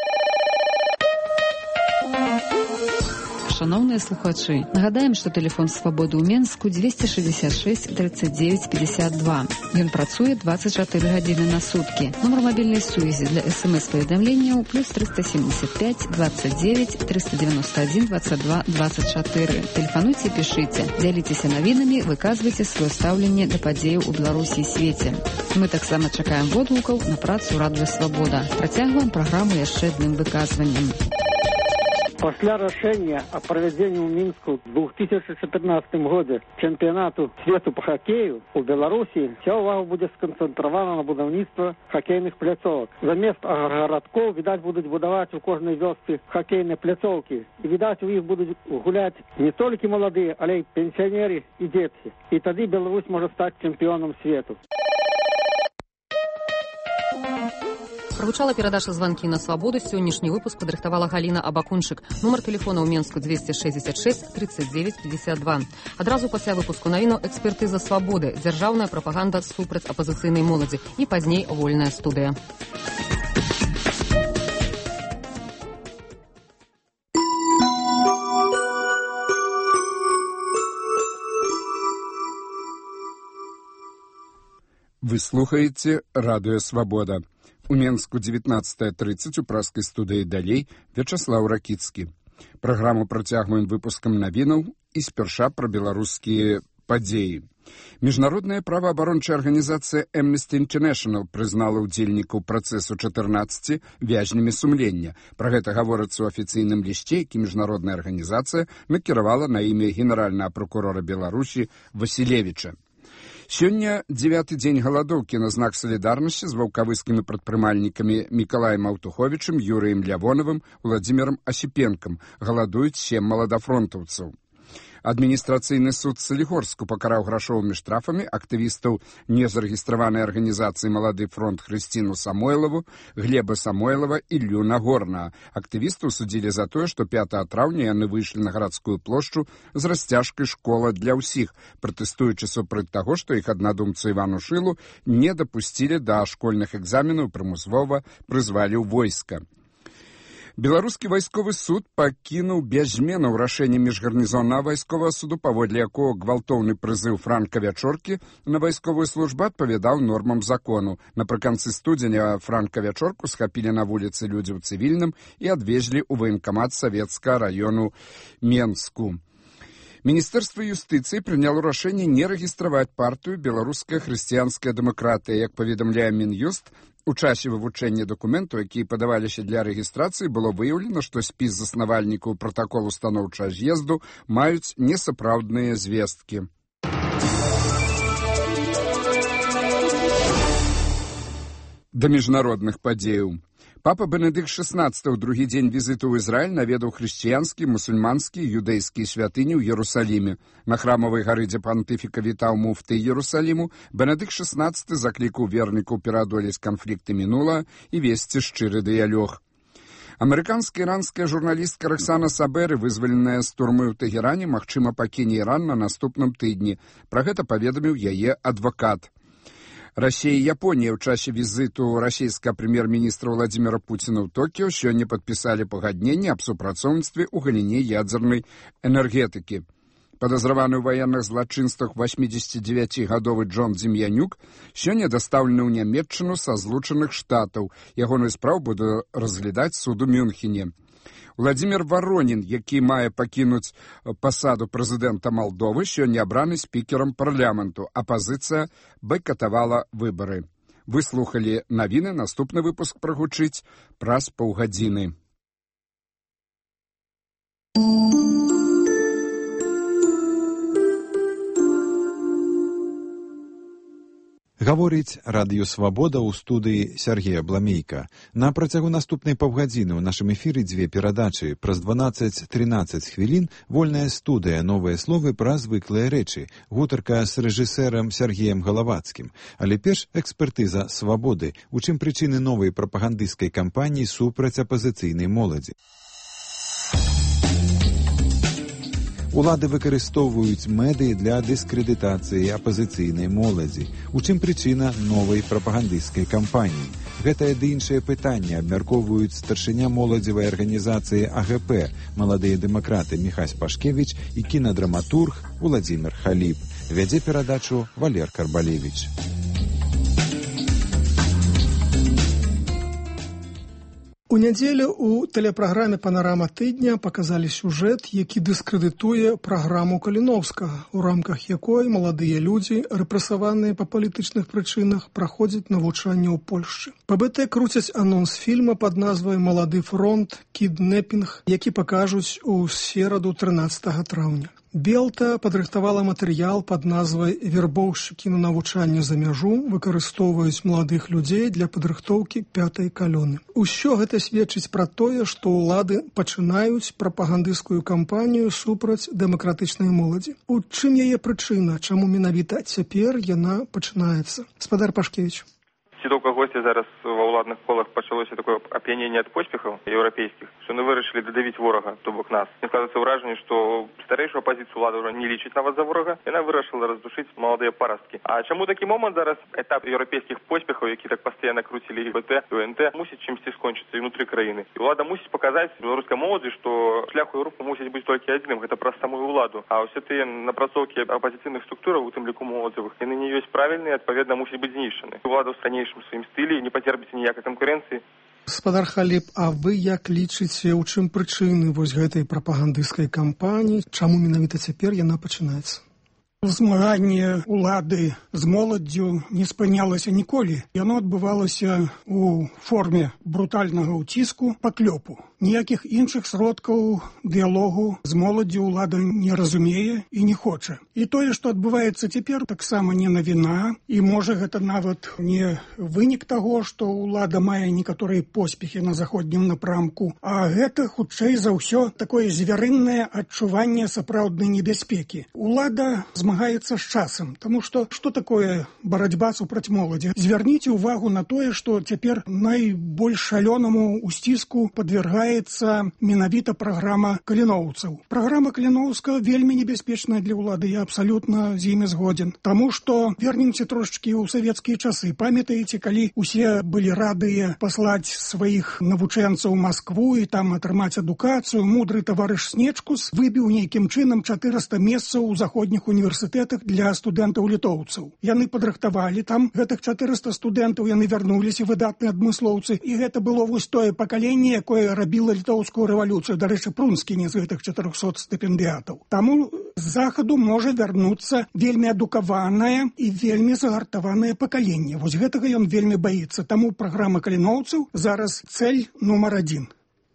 Шановныя слухачы, нагадаем, што тэлефон свабоды ў Менску двести шестьдесят шесть тридцать девять пятьдесят два. Ён працуе двадцать четыре гадзіны на суткі. Нумар мабільнай сувязі для смс-паведамленняў плюс триста семьдесят пять двадцать девять триста девяносто один двадцать два двадцать четыре. Тэлефануйце, пішыце, дзяліцеся навінамі, выказвайце сваё стаўленне да падзеяў у Беларусі і свеце. Мы таксама чакаем водгукаў на працу радыё Свабода. Працягваем праграму яшчэ адным выказваннем. После решения о проведении в Минску в две тысячи четырнадцатом году чемпионату свету по хоккею у Беларуси вся увага будет сконцентрована на будовництво хоккейных пляцовок. Заместо городков, видать, будут будовать у каждой вёсцы хоккейные пляцовки. И, видать, у них будут гулять не только молодые, але и пенсионеры и дети. И тогда Беларусь может стать чемпионом света. Прагучала перадача званкі на свабоду. Сённяшні выпуск падрыхтавала Галіна Абакунчык. Нумар тэлефона ў Менску двести шестьдесят шесть тридцать девять пятьдесят два. Адразу пасля выпуску навіну экспертыза свабоды, дзяржаўная прапаганда супраць апазіцыйнай моладзі і пазней вольная студыя. Вы слухаете «Радио Свобода». У Менску девятнадцатая тридцать у праскай студыі далей Вячаслаў Ракіцкі. Праграму працягваем выпускам навінаў і спярша пра беларускія падзеі. Міжнародная праваабарончая арганізацыя Amnesty International прызнала ўдзельнікаў працэсу чатырнаццаці вязнямі сумлення. Пра гэта гаворыцца ў афіцыйным лісце, які міжнародная арганізацыя накіравала на імя генеральнага прокурора Беларусі Васілевіча. Сёння дзевяты дзень галадоўкі на знак салідарнасці з ваўкавыскімі прадпрымальнікамі Мікалаем Аўтуховічым, Юрыем Лявоновым, Владзімірам Асіпенкам. Галадуюць сем маладафронтаўцаў. Адміністрацыйны суд Салігорску пакараў грашовымі штрафамі актывістаў незарэгістраванай арганізацыі «Малады фронт» Хрысціну Самойлаву, Глеба Самойлава і Іллю Нагорнага. Актывістаў судзілі за тое, што пятага траўня яны выйшлі на гарадскую плошчу з расцяжкай «Школа для ўсіх», пратэстуючы супраць таго, што іх аднадумцу Івану Шылу не дапусцілі да школьных экзаменаў, прымусова прызвалі ў войска. Беларускі вайсковы суд пакінуў без зменаў рашэнне міжгарнізоннага вайсковага суду, паводле якога гвалтоўны прызыў Франка Вячоркі на вайсковую службу адпавядаў нормам закону. Напрыканцы студзеня Франка Вячорку схапілі на вуліцы людзі ў цывільным і адвезлі ў ваенкамат савецкага раёну Менску. Міністэрства юстыцыі прыняло рашэнне не рэгістраваць партыю «Беларуская хрысціянская дэмакратыя». Як паведамляе Мін'юст, у часе вывучэння дакументаў, якія падаваліся для рэгістрацыі, было выяўлена, што спіс заснавальнікаў пратаколу станоўчага з'езду маюць несапраўдныя звесткі. Да міжнародных падзеяў. Папа Бенедыкт шестнадцаты ў другі дзень візіту ў Ізраіль наведаў хрысціянскі, мусульманскі і юдэйскія святыні ў Ерусаліме. На храмавай гары, дзе пантыфіка вітаў муфты Ерусаліму, Бенедыкт шестнадцаты заклікаў вернікаў пераадолець канфлікты мінулага і весці шчыры дыялог. Амерыканская іранская журналістка Роксана Саберы, вызваленая з турмы ў Тэгеране, магчыма пакіне Іран на наступным тыдні. Пра гэта паведаміў яе адвакат. Россия и Япония в часе визиту российского премьер-министра Владимира Путина в Токио сёння подписали пагадненне об супрацоўніцтве ў галіне ядзернай энергетыкі. Подозраваны ў военных злачынствах восьмидзесятидзевяцігадовы Джон Дзем'янюк сёння дастаўлены ў Нямецчыну са Злучаных Штатаў. Ягоную справу будзе разглядаць суд у Мюнхене. Владимир Воронин, які мае пакінуць пасаду прэзідэнта Малдовы, сёння абраны спікерам парламенту. Апазіцыя байкатавала выбары. Вы слухалі навіны, наступны выпуск прагучыць праз паўгадзіны. Гаворыць радыё «Свабода» ў студыі Сергея Бламейка. На працягу наступнай паўгадзіны ў нашым эфіры дзве перадачы. Праз дванаццаць-трынаццаць хвілін вольная студыя, новыя словы пра звыклыя рэчы. Гутарка з рэжысэрам Сергеем Галавацкім. Але перш экспертыза «Свабоды». У чым прычыны новай прапагандысцкай кампаніі супраць апазіцыйнай моладзі? Улады выкарыстоўваюць медыі для дыскрэдытацыі апазіцыйнай моладзі. У чым прычына новай прапагандысцкай кампаніі? Гэтае ды іншае пытанне абмяркоўваюць старшыня моладзевай арганізацыі А Г П, маладыя дэмакраты Міхась Пашкевіч і кінадраматург Владзімір Халіб. Вядзе перадачу Валер Карбалевіч. У нядзелю у тэлепраграме «Панарама тыдня» паказалі сюжэт, які дыскрэдытуе праграму Каліноўскага, у рамках якой маладыя людзі, рэпрэсаваныя па палітычных прычынах, праходзяць навучанне ў Польшчы. Па бэ тэ круцяць анонс фільма пад назвай «Малады фронт. Кіднэпінг», які пакажуць у сераду трынаццатага траўня. Белта падрыхтавала матэрыял пад назвай «Вербоўшчыкі на навучанне за мяжу выкарыстоўваюць маладых людзей для падрыхтоўкі пятай калоны». Усё гэта сведчыць пра тое, што ўлады пачынаюць прапагандысцкую кампанію супраць дэмакратычнай моладзі. У чым яе прычына, чаму менавіта цяпер яна пачынаецца? Гаспадар Пашкевіч. Сітоўка госця зараз ва ўладных колах пачалося такое ап'яненне ад поспехаў еўрапейскіх, што яны вырашылі дадавіць ворага, то бок нас. Мне складаецца ўражанне, што старэйшую апазіцыю ўлада ўжо не лічыць нават за ворага, яна вырашыла раздушыць маладыя парасткі. А чаму такі момант зараз этап еўрапейскіх поспехаў, які так пастаянна круцілі і бэ тэ, і о эн тэ, мусіць чымсьці скончыцца і ўнутры краіны. І ўлада мусіць паказаць беларускай моладзі, што шлях у Еўропу мусіць быць толькі адзіным, гэта праз самую ўладу. А ўсе тыя напрацоўкі апазіцыйных структураў, у тым ліку моладзевых, яны не ёсць правільныя, адпаведна мусіць быць знішчаны. Улада ў ранейшым сваім стылі не пацерпіць ніякай канкурэнцыі. Гаспадар Халіп, а вы як лічыце, у чым прычыны вось гэтай прапагандысцкай кампаніі, чаму менавіта цяпер яна пачынаецца? Змаганне ўлады з моладдзю не спынялася ніколі. Яно адбывалася ў форме брутальнага ўціску, паклёпу. Ніякіх іншых сродкаў дыялогу з моладдзю ўлада не разумее і не хоча. І тое, што адбываецца цяпер, таксама не навіна, і можа гэта нават не вынік таго, што ўлада мае некаторыя поспехі на заходнім напрамку, а гэта, хутчэй за ўсё, такое звярыннае адчуванне сапраўднай небяспекі. Улада змагаецца з часам, таму што што такое барацьба супраць моладзі? Звярніце ўвагу на тое, што цяпер найбольш шалёнаму ўсціску падвяргаецца менавіта праграма каліноўцаў. Праграма Каліноўскага вельмі небяспечная для ўлады, я абсалютна з імі згодзін. Таму што вернемся трошачкі ў савецкія часы. Памятаеце, калі усе былі радыя паслаць сваіх навучэнцаў у Маскву і там атрымаць адукацыю, мудры таварыш Снечкус выбіў нейкім чынам чатырыста месцаў у заходніх універсітэтах для студэнтаў-літоўцаў. Яны падрыхтавалі там гэтых чатырыста студэнтаў, яны вярнуліся, выдатныя адмыслоўцы, і гэта было вось тое пакаленне, якое рабіла літоўскую рэвалюцыю. Дарэчы, Прунскі не з гэтых чатырохсот стыпендыятаў. Таму з захаду можа вярнуцца вельмі адукаванае і вельмі загартаванае пакаленне. Вось гэтага ён вельмі баіцца. Таму праграма каліноўцаў зараз цэль нумар адзін.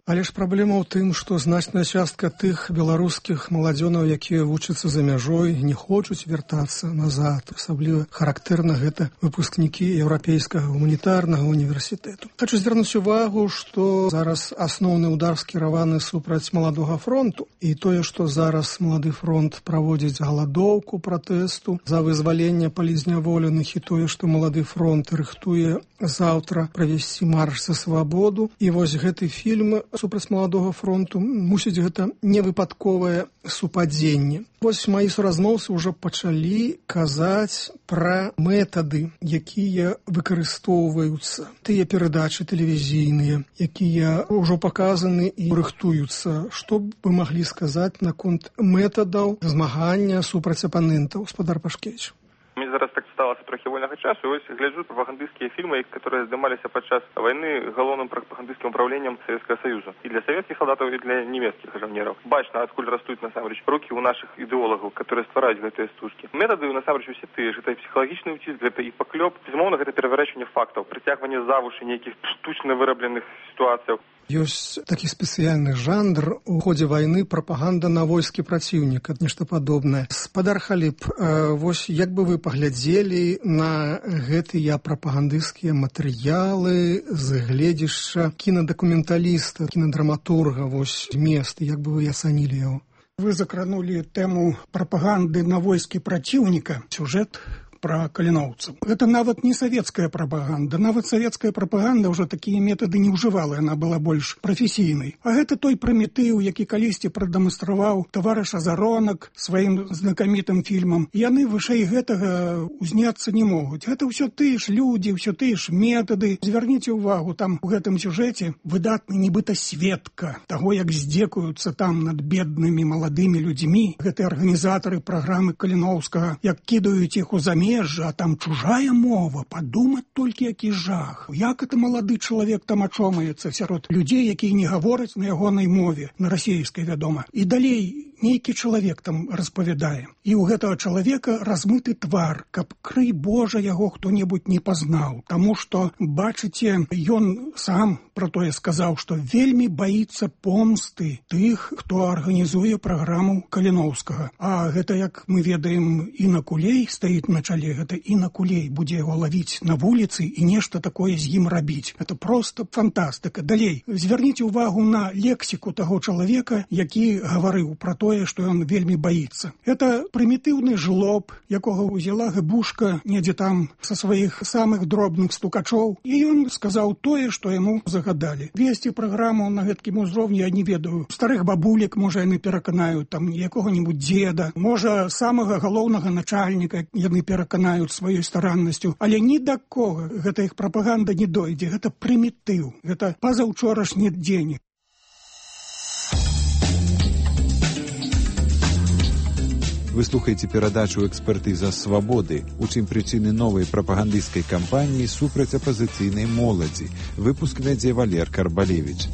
Але ж праблема ў тым, што значная частка тых беларускіх маладзёнаў, якія вучацца за мяжой, не хочуць вяртацца назад. Асабліва характэрна гэта выпускнікі еўрапейскага гуманітарнага універсітэту. Хачу звярнуць увагу, што зараз асноўны ўдар скіраваны супраць маладога фронту. І тое, што зараз малады фронт праводзіць галадоўку пратэсту за вызваленне палізняволеных, і тое, што малады фронт рыхтуе заўтра правесці марш за свабоду. І вось гэты фільм супраць маладога фронту, мусіць, гэта невыпадковае супадзенне. Вось маі суразмоўцы ўжо пачалі казаць пра метады, якія выкарыстоўваюцца. Тыя перадачы тэлевізійныя, якія ўжо паказаны і рыхтуюцца. Што б вы маглі сказаць наконт метадаў змагання супраць апанентаў? Гаспадар Пашкевіч. Мне зараз так сталася трохи вольнага часу, і ось гляджу прапагандысцкія фільмы, которые здымаліся падчас вайны галоўным прапагандысцкім управленнем Савецкага Саюза. І для савецкіх салдатаў, і для нямецкіх жанераў. Бачна, адкуль растуць насамрэч рукі ў нашых ідэолагаў, которые ствараюць гэтыя стужкі. Метады насамрэч усе тыя ж. Гэта псіхалагічны ўціск, гэта і паклёп. Безумоўна, гэта пераварачванне фактаў, прыцягванне за вушы нейкіх штучна вырабленых сітуацыяў. Ёсць такі спецыяльны жанр у ходзе вайны прапаганда на войскі праціўніка, нешта падобнае. Гаспадар Халіп, вось як бы вы паглядзелі на гэтыя прапагандысцкія матэрыялы з гледзяшча кінадакументаліста, кінадраматурга, вось змест, як бы вы ацанілі яго? Вы закранулі тэму прапаганды на войскі праціўніка. Сюжэт пра каліноўцаў. Гэта нават не савецкая прапаганда. Нават савецкая прапаганда ўжо такія метады не ўжывала, яна была больш прафесійнай. А гэта той прымітыў, які калісьці прадэманстраваў таварыш Азаронак сваім знакамітым фільмам. Яны вышэй гэтага ўзняцца не могуць. Гэта ўсё тыя ж людзі, ўсё тыя ж метады. Звярніце ўвагу, там у гэтым сюжэце выдатны нібыта сведка таго, як здзекуюцца там над беднымі маладымі людзьмі. Гэтыя арганізатары праграмы Каліноўскага, як кідаюць іх у замер замежжа, а там чужая мова, падумаць толькі які жах. Як это малады чалавек там ачомаецца сярод людзей, якія не гавораць на ягонай мове, на расейскай, вядома. І далей нейкі чалавек там распавядае. І ў гэтага чалавека размыты твар, каб, крый Божа, яго хто-небудзь не пазнаў. Таму што, бачыце, ён сам пра тое сказаў, што вельмі баіцца помсты тых, хто арганізуе праграму Каліноўскага. А гэта, як мы ведаем, Інна Кулей стаіць на чале, гэта Інна Кулей будзе яго лавіць на вуліцы і нешта такое з ім рабіць. Это проста фантастыка. Далей, звярніце ўвагу на лексіку таго чалавека, які гаварыў пра тое, што ён вельмі баіцца. Это прымітыўны жлоб, якога ўзяла гыбушка недзе там са сваіх самых дробных стукачоў, і ён сказаў тое, што яму загадалі. Весці праграму на гэткім узроўні я не ведаю. Старых бабулек, можа, яны пераканаюць, там, якога-небудзь дзеда, можа, самага галоўнага начальніка яны пераканаюць сваёй стараннасцю, але ні да кога гэта іх прапаганда не дойдзе. Гэта прымітыў, гэта пазаўчорашні дзень. Вы слухаеце перадачу «Экспертыза свабоды», у чым прычыны новай прапагандысцкай кампаніі супраць апазіцыйнай моладзі. Выпуск вядзе Валер Карбалевіч.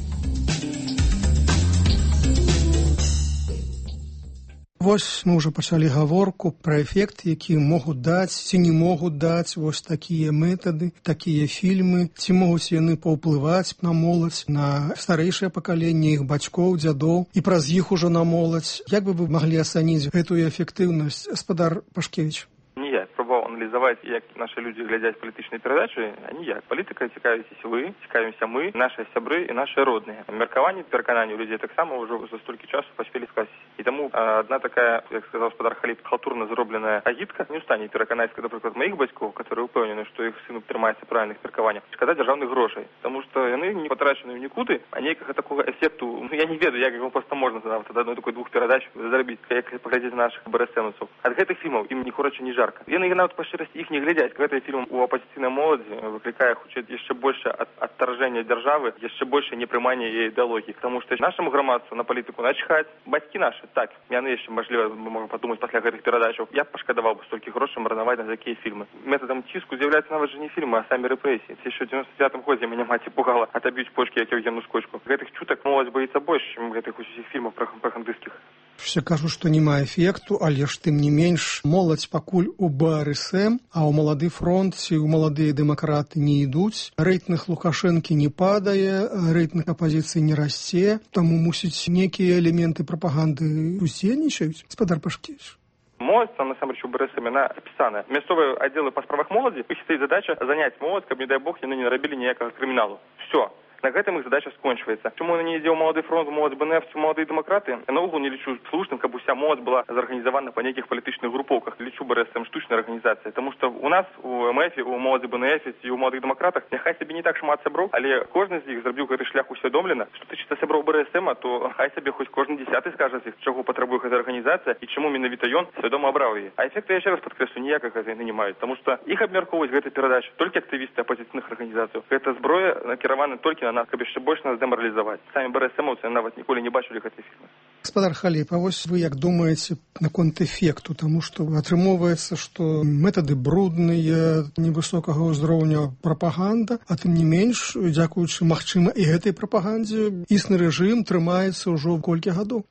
Вось мы ўжо пачалі гаворку пра эфект, які могуць даць ці не могуць даць вось такія метады, такія фільмы, ці могуць яны паўплываць на моладзь, на старэйшае пакаленне іх бацькоў, дзядоў і праз іх ужо на моладзь. Як бы вы маглі ацаніць гэтую эфектыўнасць, гаспадар Пашкевіч? Ніяк. Пробував аналізувати, як наші люди глядять політичні передачі, а ніяк. Політика цікавитесь ви, цікавимося ми, наші сябри і наші родні. Міркування, переконання у людей так само вже за стільки часу поспіли сказати. І тому одна така, як сказав господар Халіп, халтурно зроблена агітка не встане переконати, наприклад, моїх батьків, які впевнені, що їх син тримається правильних міркувань, шкода державних грошей. Тому що вони не потрачені в нікуди, а ніякого такого ефекту, ну я не ведаю, як його просто можна задавати до одної такої двох передач заробити, як поглядіти наших БРСМовців. А від цих фільмів їм ні хороше, ні жарко. Вони навіть по щирості їх не глядять. Коли фільм у опозиційній молоді викликає хоч ще більше відторження держави, ще більше неприймання її ідеології. Тому що нашому громадству на політику начхать. Батьки наші, так, вони ще, можливо, можемо подумати після цих передач, я б пошкодував би стільки грошей марнувати на такі фільми. Методом тиску з'являються навіть не фільми, а самі репресії. Це ще в дев'яносто дев'ятому році мене мать пугала, отоб'ють почки, як Євгену Скочку. Гэтых чуток молодь боїться більше, ніж гэтых усіх фільмів пропагандистських. Все кажу, што няма эфекту, але ж тым не менш моладзь пакуль у БРСМ, а ў малады фронт ці ў маладыя дэмакраты не ідуць. Рэйтынг Лукашэнкі не падае, рэйтынг апазіцыі не расце, таму мусіць нейкія элементы прапаганды удзельнічаюць. Гаспадар Пашкевіч. Молодь, там, насамрэч, у БРСМ, она описана. Мясцовыя аддзелы па справах моладзі, іх стаіць задача заняць моладзь, каб, не дай бог, яны не нарабілі ніякага крыміналу. Все. На гэтым іх задача скончваецца. Чому не ідзе ў малады фронт, малады БНФ, ці маладыя дэмакраты? Я наогул не лічу слушным, каб уся моладзь была зарганізавана па нейкіх палітычных групоўках. Лічу БРСМ штучнай арганізацыяй, таму што у нас у МФ, у малады БНФ і у маладых дэмакратах няхай сабе не так шмат сяброў, але кожны з іх зрабіў гэты шлях усвядомлена. Што тычыцца сяброў БРСМ, то хай сабе хоць кожны дзясяты скажа з іх, чаго патрабуе гэта арганізацыя і чаму менавіта ён свядома абраў яе. А эфекты, я яшчэ раз падкрэслю, ніякага яны не маюць, таму што іх абмяркоўваюць гэтай перадачы толькі актывісты апазіцыйных арганізацый. Гэта зброя накіравана толькі на нас, каб яшчэ больш деморалізаваць. Самі БРСМовцы нават ніколі не бачылі гэтай фільмы. Гаспадар Халіп, а вось вы як думаеце наконт эфекту, таму што атрымоўваецца, што метады брудныя, невысокага ўзроўня прапаганда, а тым не менш, дзякуючы, магчыма, і гэтай прапагандзе існы рэжым трымаецца ўжо колькі гадоў.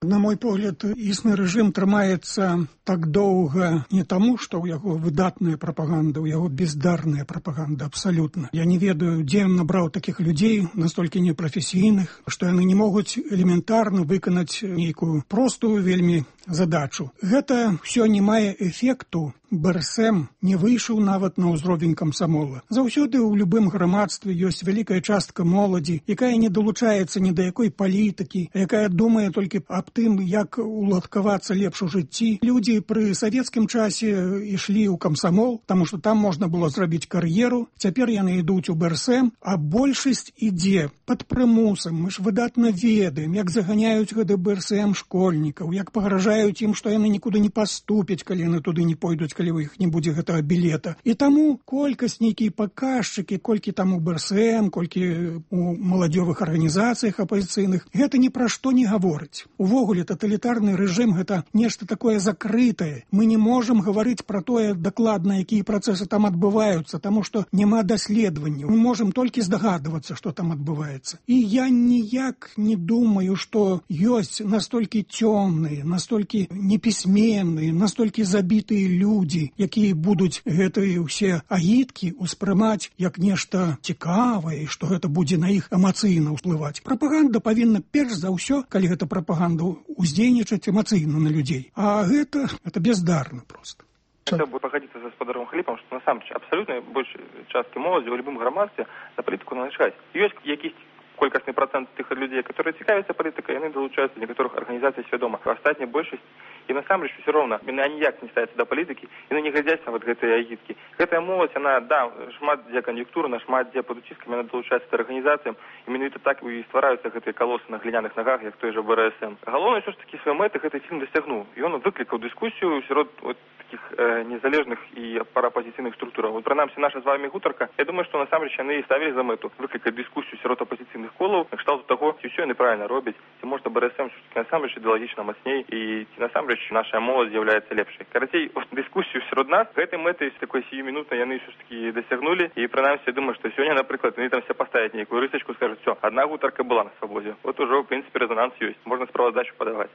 На мой погляд, існы рэжым трымаецца так доўга не таму, што ў яго выдатная прапаганда, у яго бездарная прапаганда, абсалютна. Я не ведаю, дзе ён набраў такіх людзей, настолькі непрафесійных, што яны не могуць элементарна выканаць нейкую простую вельмі задачу. Гэта ўсё не мае эфекту. БРСМ не выйшаў нават на ўзровень камсамола. Заўсёды ў любым грамадстве ёсць вялікая частка моладзі, якая не далучаецца ні да якой палітыкі, якая думае толькі аб тым, як уладкавацца лепш у жыцці. Людзі пры савецкім часе ішлі ў камсамол, таму што там можна было зрабіць кар'еру. Цяпер яны ідуць у БРСМ, а большасць ідзе пад прымусам. Мы ж выдатна ведаем, як заганяюць гэты БРСМ школьнікаў, як пагражаюць ім, што яны нікуды не паступяць, калі яны туды не пойдуць, калі ў іх не будзе гэтага білета. І таму колькасць нейкія паказчыкі, колькі там у бэ эс эм, колькі у маладзёвых арганізацыях апазіцыйных, гэта ні пра што не гаворыць. Увогуле таталітарны рэжым гэта нешта такое закрытае. Мы не можам гаварыць пра тое дакладна, якія працэсы там адбываюцца, таму што няма даследаванняў. Мы можам толькі здагадвацца, што там адбываецца. І я ніяк не думаю, што ёсць настолькі цёмныя, настолькі непісьменныя, настолькі забітыя людзі, якія будуць гэтыя ўсе агіткі ўспрымаць як нешта цікавае, што гэта будзе на іх эмацыйна ўплываць. Прапаганда павінна перш за ўсё, калі гэта прапаганда, уздзейнічаць эмацыйна на людзей. А гэта, это бездарна просто. Хотел бы погодиться с господаром Халипом, что на самом деле абсолютно большей частки молоді у любым громадстве на політику належать. Есть якісь колькасний процент тих людей, которые цікавляться політикою, вони долучаються до некоторых організацій свідомо. Остатня більшість, і насамрэч все равно, вони ніяк не ставяться до політики, і вони не глядяць на вот гэтыя агіткі. Гэтая моладзь, она, да, шмат дзе кан'юнктурна, шмат дзе пад уціскамі, она долучаецца да арганізацыям, і менавіта так і ствараюцца гэтыя калосы на гліняных нагах, як той жа бэ эс эм. Галоўнае, ўсё ж такі свае мэты гэты фільм дасягнуў. І ён выклікаў дыскусію сярод вот таких э, незалежных і параапозіцыйных структураў. Вот прынамсі наша з вами гутарка, я думаю, што насамрэч яны і ставілі за мэту выклікаць дыскусію сярод апозіцыйных колаў, на кшталту таго, ці ўсё яны правільна робяць, ці можна бэ эс эм насамрэч ідэалагічна мацней, і ці насамрэч наша моладзь з'яўляецца лепшай. Карацей, дыскусію сярод нас гэтай мэты такой сіюмінутнай яны ўсё ж такі дасягнулі, і прынамсі я думаю, што сёння, напрыклад, яны там все паставяць нейкую рысачку, скажуць, все, одна гутарка была на свабодзе. Вот ужо, в прынцыпе, рэзонанс ёсць. Можна справаздачу падаваць.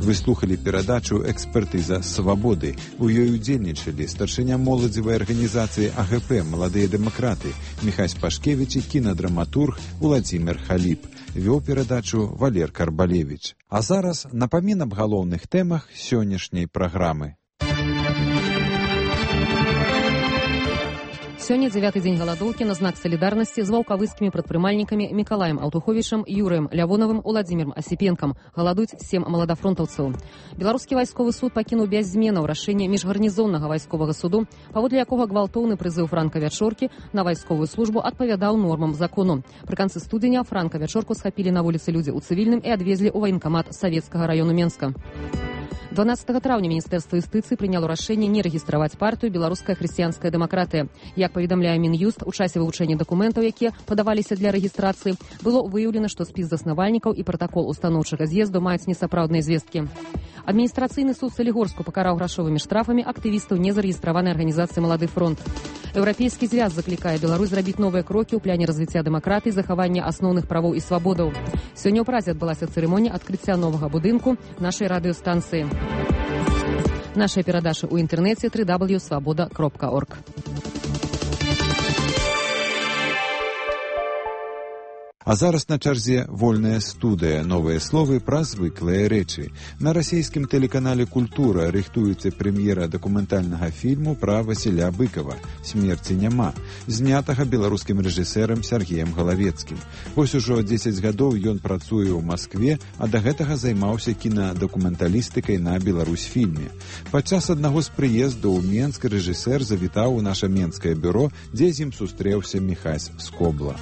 Вы слухали перадачу «Экспертыза свабоды». У ёй удзельнічалі старшыня моладзевай арганізацыі а гэ пэ «Маладыя дэмакраты» Міхась Пашкевіч і кінадраматург Уладзімір Халіп. Вёў перадачу Валер Карбалевіч. А зараз напамін аб галоўных тэмах сённяшняй праграмы. Сёння дзявяты дзень галадоўкі на знак салідарнасці з ваўкавыскімі прадпрымальнікамі Мікалаем Алтуховічам, Юрыем Лявоновым, Уладзімірам Асіпенкам. Галадуюць сем маладафронтаўцаў. Беларускі вайсковы суд пакінуў без зменаў рашэнне міжгарнізоннага вайсковага суду, паводле якога гвалтоўны прызыў Франка Вячоркі на вайсковую службу адпавядаў нормам закону. Пры канцы студзеня Франка Вячорку схапілі на вуліцы людзі ў цывільным і адвезлі ў ваенкамат Савецкага раёну Менска. дванаццатага траўня Міністэрства юстыцыі прыняло рашэнне не рэгістраваць партыю «Беларуская хрысціянская дэмакратыя». Як паведамляе Мін'юст, у часе вывучэння дакументаў, якія падаваліся для рэгістрацыі, было выяўлена, што спіс заснавальнікаў і пратакол устаноўчага з'езду маюць несапраўдныя звесткі. Адміністрацыйны суд Салігорску пакараў грашовымі штрафамі актывістаў незарэгістраванай арганізацыі «Малады фронт». Еўрапейскі звяз заклікае Беларусь зрабіць новыя крокі ў пляне развіцця дэмакратыі, захавання асноўных правоў і свабодаў. Сёння ў Празе адбылася цырымонія адкрыцця новага будынку нашай радыёстанцыі. Наша перадача ў інтэрнэце дабл ю дабл ю дабл ю крапка свабода крапка орг. А зараз на чарзе вольная студыя, новыя словы пра звыклыя рэчы. На расійскім тэлеканале «Культура» рыхтуецца прэм'ера дакументальнага фільму пра Васіля Быкова «Смерці няма», знятага беларускім рэжысэрам Сергеем Галавецкім. Вось ужо дзесяць гадоў ён працуе ў Маскве, а да гэтага займаўся кінадакументалістыкай на Беларусьфільме. Падчас аднаго з прыездаў у Менск рэжысэр завітаў у наша менскае бюро, дзе з ім сустрэўся Міхась Скобла.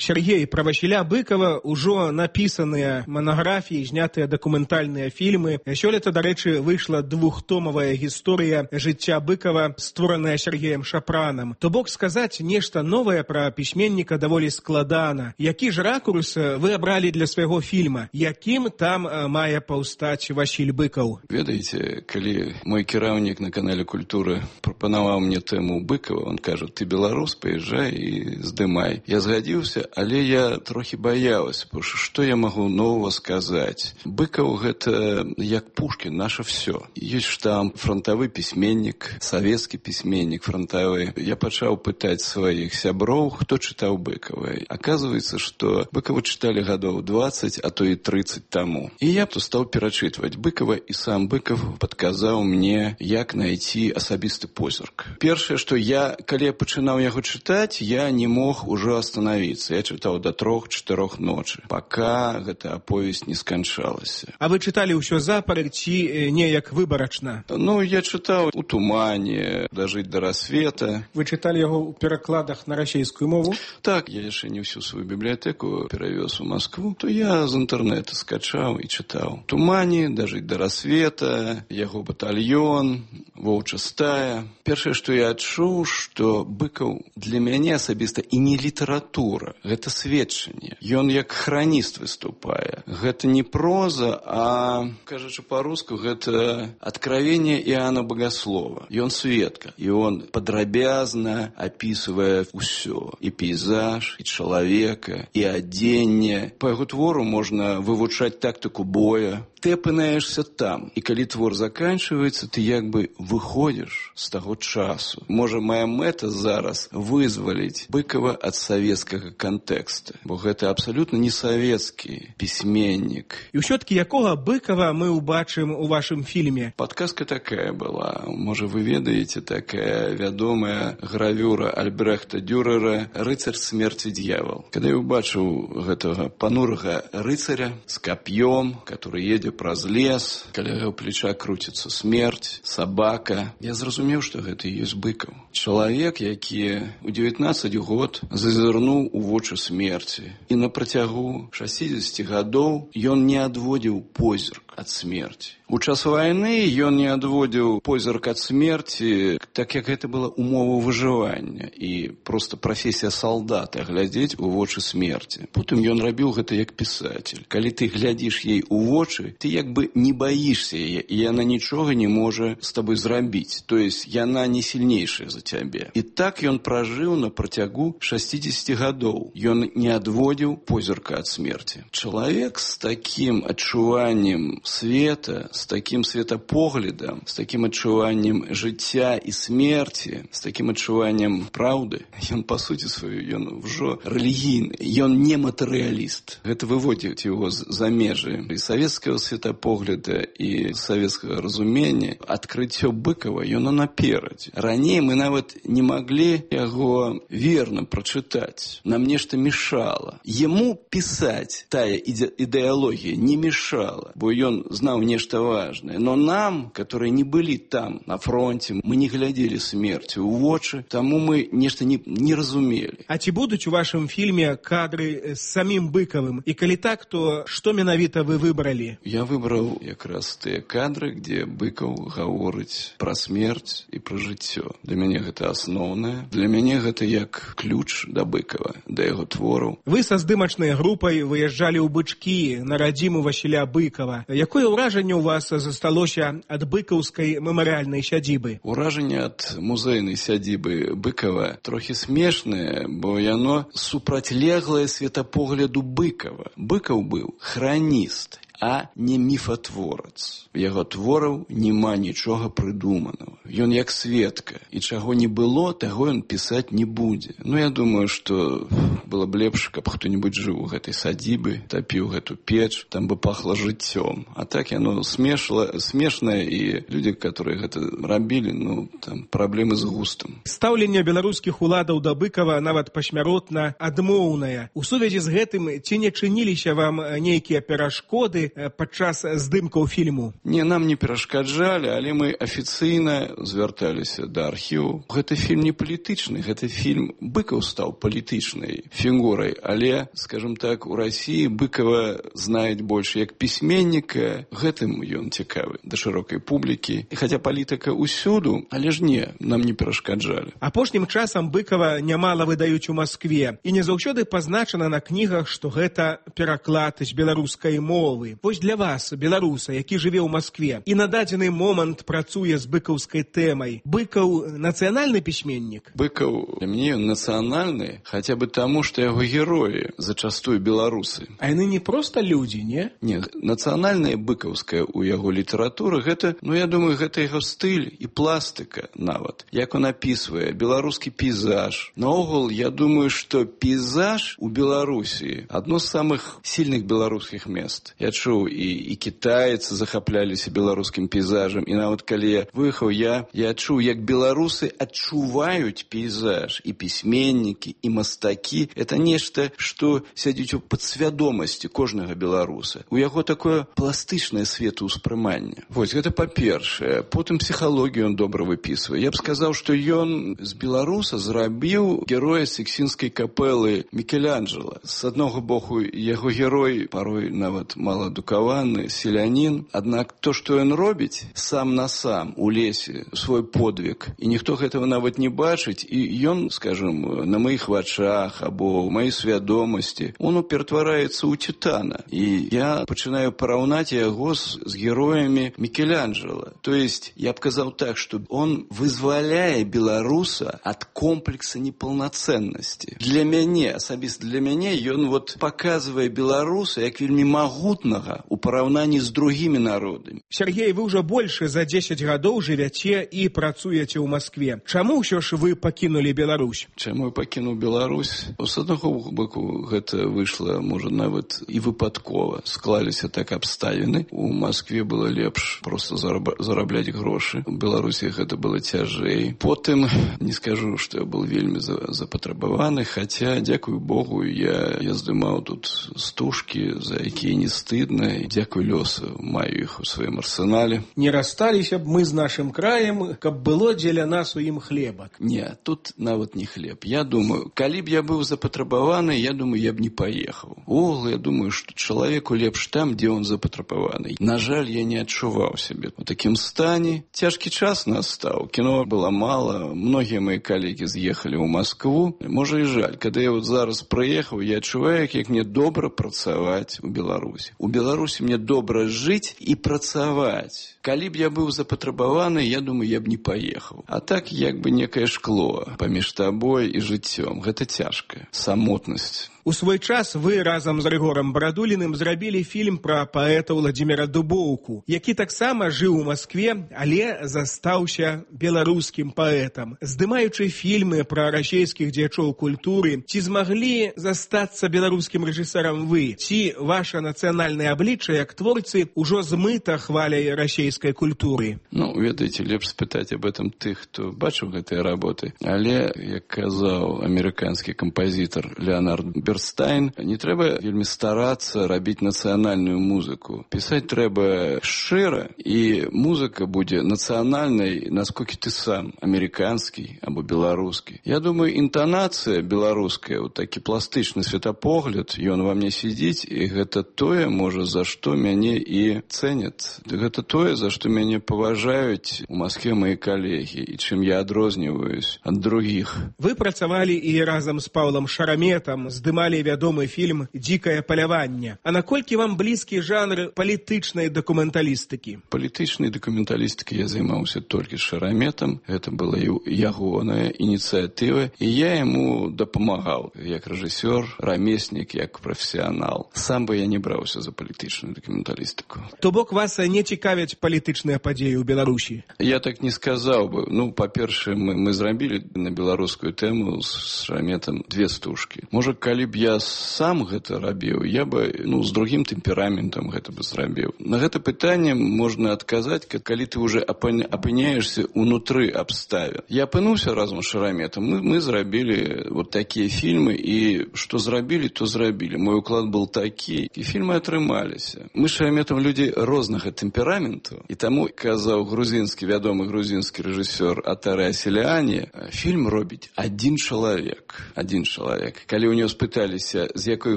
Сергей, про Васіля Быкова ўжо напісаныя манаграфіі, знятыя дакументальныя фільмы. Сёлета, дарэчы, выйшла двухтомавая гісторыя жыцця Быкова, створаная Сергеем Шапранам. То бок сказаць нешта новае пра пісьменніка даволі складана. Які ж ракурс вы абралі для свайго фільма? Якім там мае паўстаць Васіль Быкаў? Ведаеце, калі мой кіраўнік на канале «Культура» прапанаваў мне тэму Быкова, он кажа, ты беларус, паязджай і здымай. Я згадзіўся, але я трохі баялася, потому што што я магу нового сказаць? Быкаў гэта як Пушкін, наша всё. Ёсць штамп, фронтавы пісьменнік, савецкі пісьменнік фронтавы. Я пачаў пытаць сваіх сяброў, хто чытаў Быкава. Аказваецца, што Быкава чыталі гадоў дваццаць, а то і трыццаць таму. І я то стаў перачытваць Быкава, і сам Быкаў падказаў мне, як знайсці асабісты позірк. Першае, што я, калі я пачынаў яго чытаць, я не мог ужо астанавіцца. Я я чытаў да трох-чатырох ночы, пака гэта аповесць не сканчалася. А вы чыталі ўсё запар ці неяк выбарачна? Ну, я чытаў у тумане, дажыць да рассвета. Вы чыталі яго ў перакладах на расійскую мову? Так, я яшчэ не ўсю сваю бібліятэку перавёз у Маскву, то я з інтэрнэта скачаў і чытаў. Тумане, дажыць да рассвета, яго батальён, воўча стая. Першае, што я адчуў, што Быкаў для мяне асабіста і не літаратура, гэта сведчанне. Ён як храніст выступае. Гэта не проза, а, кажучы па-руску, гэта откровение Иоанна Богослова. Ён сведка, і он падрабязна апісвае ўсё. І пейзаж, і чалавека, і адзенне. Па яго твору можна вывучаць тактыку боя. Ты апынаешься там, і калі твор заканчивается, ты як бы выходишь з таго часу. Можа, моя мэта зараз вызваліць Быкова ад савецкага кантэкста, бо гэта абсалютна не савецкі пісьменнік. І ўсё-таки якога Быкова мы ўбачым у вашым фільме? Падказка такая была. Можа, вы ведаеце, такая вядомая гравюра Альбрехта Дюрера «Рыцарь смерти дьявол». Калі я ўбачыў гэтага панурага рыцаря з кап'ём, который едзе праз лес, каля яго плеча круціцца смерць, сабака, я зразумеў, што гэта і ёсць Быкаў. Чалавек, які ў дзевятнаццаць год зазірнуў у вочы смерці. І на працягу шасцідзесяці гадоў ён не адводзіў позірк ад смерці. У час вайны ён не адводзіў позірк ад смерці, так як гэта была умова выжывання і проста прафесія салдата глядзець у вочы смерці. Потым ён рабіў гэта як пісатель. Калі ты глядзіш ей у вочы, ты як бы не баішся яе, і яна нічога не можа з табой зрабіць. То есть яна не сильнейшая за цябе. І так ён пражыў на працягу шасцідзесяці гадоў. Ён не адводзіў позірка ад смерці. Чалавек з такім адчуваннем света, з такім светапоглядам, з такім адчуваннем жыцця і смерці, з такім адчуваннем праўды, ён па суці сваю, ён ўжо рэлігійны, ён не матэрыяліст. Гэта выводзіць яго за межы і савецкага светапогляда і савецкага разумення. Адкрыццё Быкова, ён наперадзе. Раней мы нават не маглі яго верна прачытаць. Нам нешта мешала. Яму пісаць тая ідэалогія не мешала, бо ён знаў нешта важнае. Но нам, которые не былі там, на фронте, мы не глядзелі смерці ў вочы, таму мы нешта не, не разумелі. А ці будуць у вашым фільме кадры з самім Быкавым? І калі так, то што менавіта вы выбралі? Я выбраў якраз тыя кадры, дзе Быкаў гаворыць пра смерць і пра жыццё. Для мяне гэта асноўнае. Для мяне гэта як ключ да Быкава, да яго твораў. Вы са здымачнай групай выязджалі ў Бычкі на радзіму Васіля Быкава. Якое ўражанне у вас засталося ад быкаўскай мемарыяльнай сядзібы? Уражанне ад музейнай сядзібы Быкава трохі смешнае, бо яно супрацьлеглае светапогляду Быкава. Быкаў быў храніст, а не міфатворац. Яго твораў няма нічога прыдуманага. Ён як сведка, і чаго не было, таго ён пісаць не будзе. Ну, я думаю, што было б лепш, каб хто-небудзь жыў у гэтай садзібы, тапіў гэту печ, там бы пахла жыццём. А так яно смешла, смешнае, і людзі, которые гэта рабілі, ну, там праблемы з густам. Стаўленне беларускіх уладаў да Быкава нават пасмяротна адмоўнае. У сувязі з гэтым ці не чыніліся вам нейкія перашкоды падчас здымкаў фільму? Не, нам не перашкаджалі, але мы афіцыйна звярталіся да архіву. Гэты фільм не палітычны, гэты фільм Быкаў стаў палітычнай фігурай, але, скажем так, у Расіі Быкава знаюць больш як пісьменніка, гэтым ён цікавы да шырокай публікі. І хаця палітыка ўсюду, але ж не, нам не перашкаджалі. Апошнім часам Быкава нямала выдаюць у Маскве, і не заўсёды пазначана на кнігах, што гэта пераклад з беларускай мовы. Вось для вас, беларуса, які жыве ў Маскве і на дадзены момант працуе з быкаўскай тэмай, Быкаў нацыянальны пісьменнік? Быкаў для мяне ён нацыянальны, хаця бы таму, што яго героі зачастую беларусы. А яны не проста людзі, не? Не, нацыянальная быкаўская ў яго літаратуры, гэта, ну, я думаю, гэта яго стыль і пластыка нават. Як он апісвае беларускі пейзаж. Наогул, я думаю, што пейзаж у Беларусі адно з самых сильных беларускіх мест. Я чуў бачыў, і, і кітайцы захапляліся беларускім пейзажам. І нават калі я выехаў, я, я адчуў, як беларусы адчуваюць пейзаж, і пісьменнікі, і мастакі. Это нешта, што сядзіць у падсвядомасці кожнага беларуса. У яго такое пластычнае светаўспрыманне. Вось, гэта па-першае. Потым псіхалогію ён добра выпісвае. Я б сказаў, што ён з беларуса зрабіў героя Сіксцінскай капэлы Мікеланджела. З аднаго боку, яго герой парой нават маладукаваны, селянін. Аднак то, што ён робіць сам на сам у лесе, свой подвиг, і ніхто гэтага нават не бачыць, і ён, скажем, на маіх вачах або ў маёй свядомасці, он ператвараецца ў титана. І я пачынаю параўнаць яго з, з героямі Мікеланджела. То есть, я б казаў так, што он вызваляе беларуса ад комплекса непаўнацэннасці. Для мяне, асабіста для мяне, ён вот показывае беларуса як вельмі магутнага у параўнанні з другімі народамі. Сергей, вы ўжо больш за дзесяць гадоў жывяце і працуеце ў Маскве. Чаму ўсё ж вы пакінулі Беларусь? Чаму я пакінуў Беларусь? З аднаго боку, гэта выйшла, можа, нават і выпадкова. Склаліся так абставіны. У Маскве было лепш проста зараб... зарабляць грошы. У Беларусі гэта было цяжэй. Потым, не скажу, што я был вельмі запатрабаваны, хаця, дзякую Богу, я, я здымаў тут стужкі, за якія не стыдна, і дзякую лёсу, маю іх у сваім арсенале. Не рассталіся б мы з нашым краем, каб было дзеля нас у ім хлебак. Не, тут нават не хлеб. Я думаю, калі б я быў запатрабаваны, я думаю, я б не паехаў. Увогуле, я думаю, што чалавеку лепш там, дзе он запатрабаваны. На жаль, я не адчуваў сябе у такім стане. Цяжкі час настаў. Кіно было мала, многія мои калегі з'ехалі ў Маскву. Можа і жаль, калі я вот зараз прыехаў, я адчуваю, як мне добра працаваць у Беларусі. У Беларусі мне добра жыць і працаваць. Калі б я быў запатрабаваны, я думаю, я б не паехаў. А так, як бы некае шкло паміж табой і жыццём. Гэта цяжка. Самотнасць. У свой час вы разам з Рыгорам Барадуліным зрабілі фільм пра паэта Владзіміра Дубоўку, які таксама жыў у Маскве, але застаўся беларускім паэтам. Здымаючы фільмы пра расейскіх дзеячоў культуры, ці змаглі застацца беларускім рэжысёрам вы? Ці ваша нацыянальнае аблічча як творцы ўжо змыта хваляй расейскай культуры? Ну, ведаеце, лепш спытаць об этом тых, хто бачыў гэтыя работы. Але, як казаў амерыканскі кампазітар Леонард Берстайн, не трэба вельмі старацца рабіць нацыянальную музыку. Пісаць трэба шчыра, і музыка будзе нацыянальнай, насколькі ты сам, амерыканскі або беларускі. Я думаю, інтанацыя беларуская, вот такі пластычны светапогляд, ён ва мне сидзіць, і гэта тое, можа, за што мяне і цэняць. Гэта тое, за што мяне паважаюць у Маскве мои калегі, і чым я адрозніваюсь ад другіх. Вы працавалі і разам з Паўлам Шараметам, здымалі вядомы фільм «Дзікае паляванне». А наколькі вам блізкі жанр палітычнай дакументалістыкі? Палітычнай дакументалістыкай я займаўся толькі з Шараметам. Гэта была ягоная ініцыятыва, і я яму дапамагаў як рэжысёр, рамеснік, як прафесіянал. Сам бы я не браўся за палітычную дакументалістыку. То бок вас не цікавяць палітычныя падзеі ў Беларусі? Я так не сказаў бы. Ну, па-першае, мы, мы зрабілі на беларускую тэму з Шараметам две стужкі. Можа, калі б я сам гэта рабіў, я бы, ну, з другім тэмпераментам гэта бы зрабіў. На гэта пытанне можна адказаць, калі ты уже апыняешься унутры абставін. Я апынуўся разам з Шараметам. Мы, мы зрабілі вот такія фільмы, і што зрабілі, то зрабілі. Мой уклад был такі, і фільмы атрымаліся. Мы з Шараметам людзі рознага тэмпераменту, і таму, казаў грузінскі, вядомы грузінскі рэжысёр Атаре Асіляне, фільм робіць адзін чалавек. Адзін чалавек. Калі у него спыталіся, з якой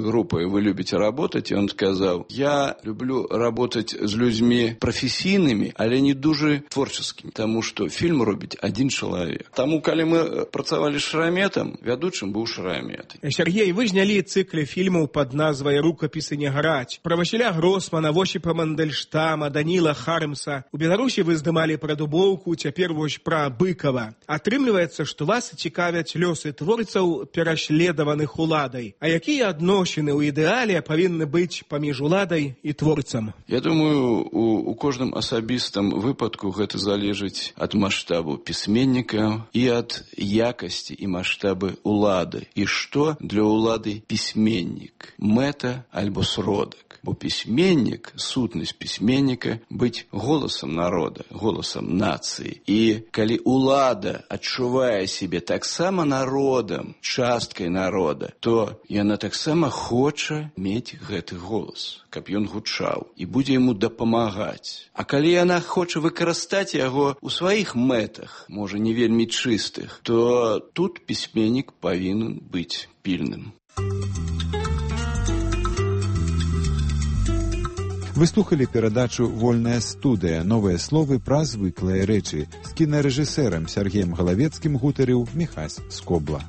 группой вы любите работать, и он сказал, я люблю работать с людьми професійнымі, але не дуже творческими, тому что фильм робіць один человек. Тому, калі мы працавалі з Шараметам, вядучым быў Шарамет. Сергей, вы знялі цыкле фільмаў под назвай «Рукапісы не граць». Про Васіля Гросмана, Восіпа Мандельштама, Даніла Хармса. У Беларусі вы здымалі пра Дубоўку, цяпер вось пра Быкова. Атрымліваецца, што вас цікавяць лёсы творцаў, пераследаваных уладай. А якія адносіны ў ідэале павінны быць паміж уладай і творцам? Я думаю, у, у кожным асабістым выпадку гэта залежыць ад маштабу пісьменніка і ад якасці і маштабы улады. І што для улады пісьменнік? Мэта альбо сродак? Бо пісьменнік, сутнасць пісьменніка быць голасам народа, голасам нацыі. І калі ўлада адчувае сябе таксама народам, часткай народа, то яна таксама хоча мець гэты голас, каб ён гучаў і будзе яму дапамагаць. А калі яна хоча выкарыстаць яго ў сваіх мэтах, можа не вельмі чыстых, то тут пісьменнік павінен быць пільным. Вы слухали перадачу «Вольная студыя. Новыя словы пра звыклыя рэчы» з кінарэжысэрам Сергеем Галавецкім гутарыў Міхась Скобла.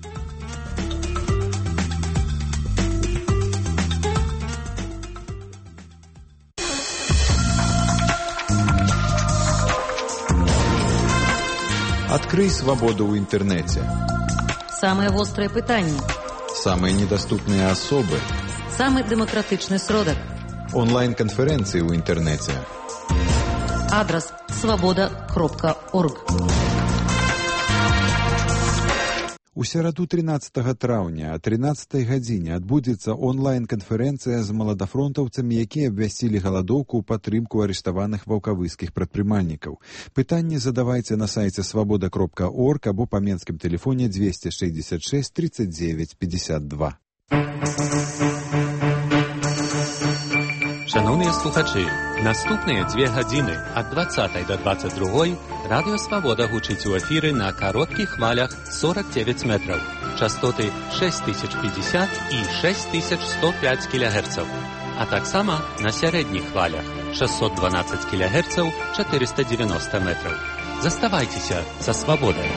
Адкрый свабоду ў інтэрнэце. Самыя вострыя пытанні. Самыя недаступныя асобы. Самы дэмакратычны сродак. Онлайн-канферэнцыі ў інтэрнэце. Адрас свабода кропка орг. У сераду трынаццатага траўня о трынаццатай гадзіне адбудзецца онлайн-канферэнцыя з маладафронтаўцамі, якія абвясцілі галадоўку ў падтрымку арыштаваных ваўкавыскіх прадпрымальнікаў. Пытанні задавайце на сайце свабода кропка орг або па менскім тэлефоне двести шестьдесят шесть тридцать девять пятьдесят два. Шановныя слухачы, наступныя дзве гадзіны ад двадцатай да двадцать другой радыё «Свабода» гучыць у эфіры на кароткіх хвалях сорок девять метраў, частоты шесть тысяч пятьдесят і шесть тысяч сто пять кілогерцаў, а таксама на сярэдніх хвалях шестьсот двенадцать кілогерцаў, четыреста девяносто метраў. Заставайцеся са «Свабодай».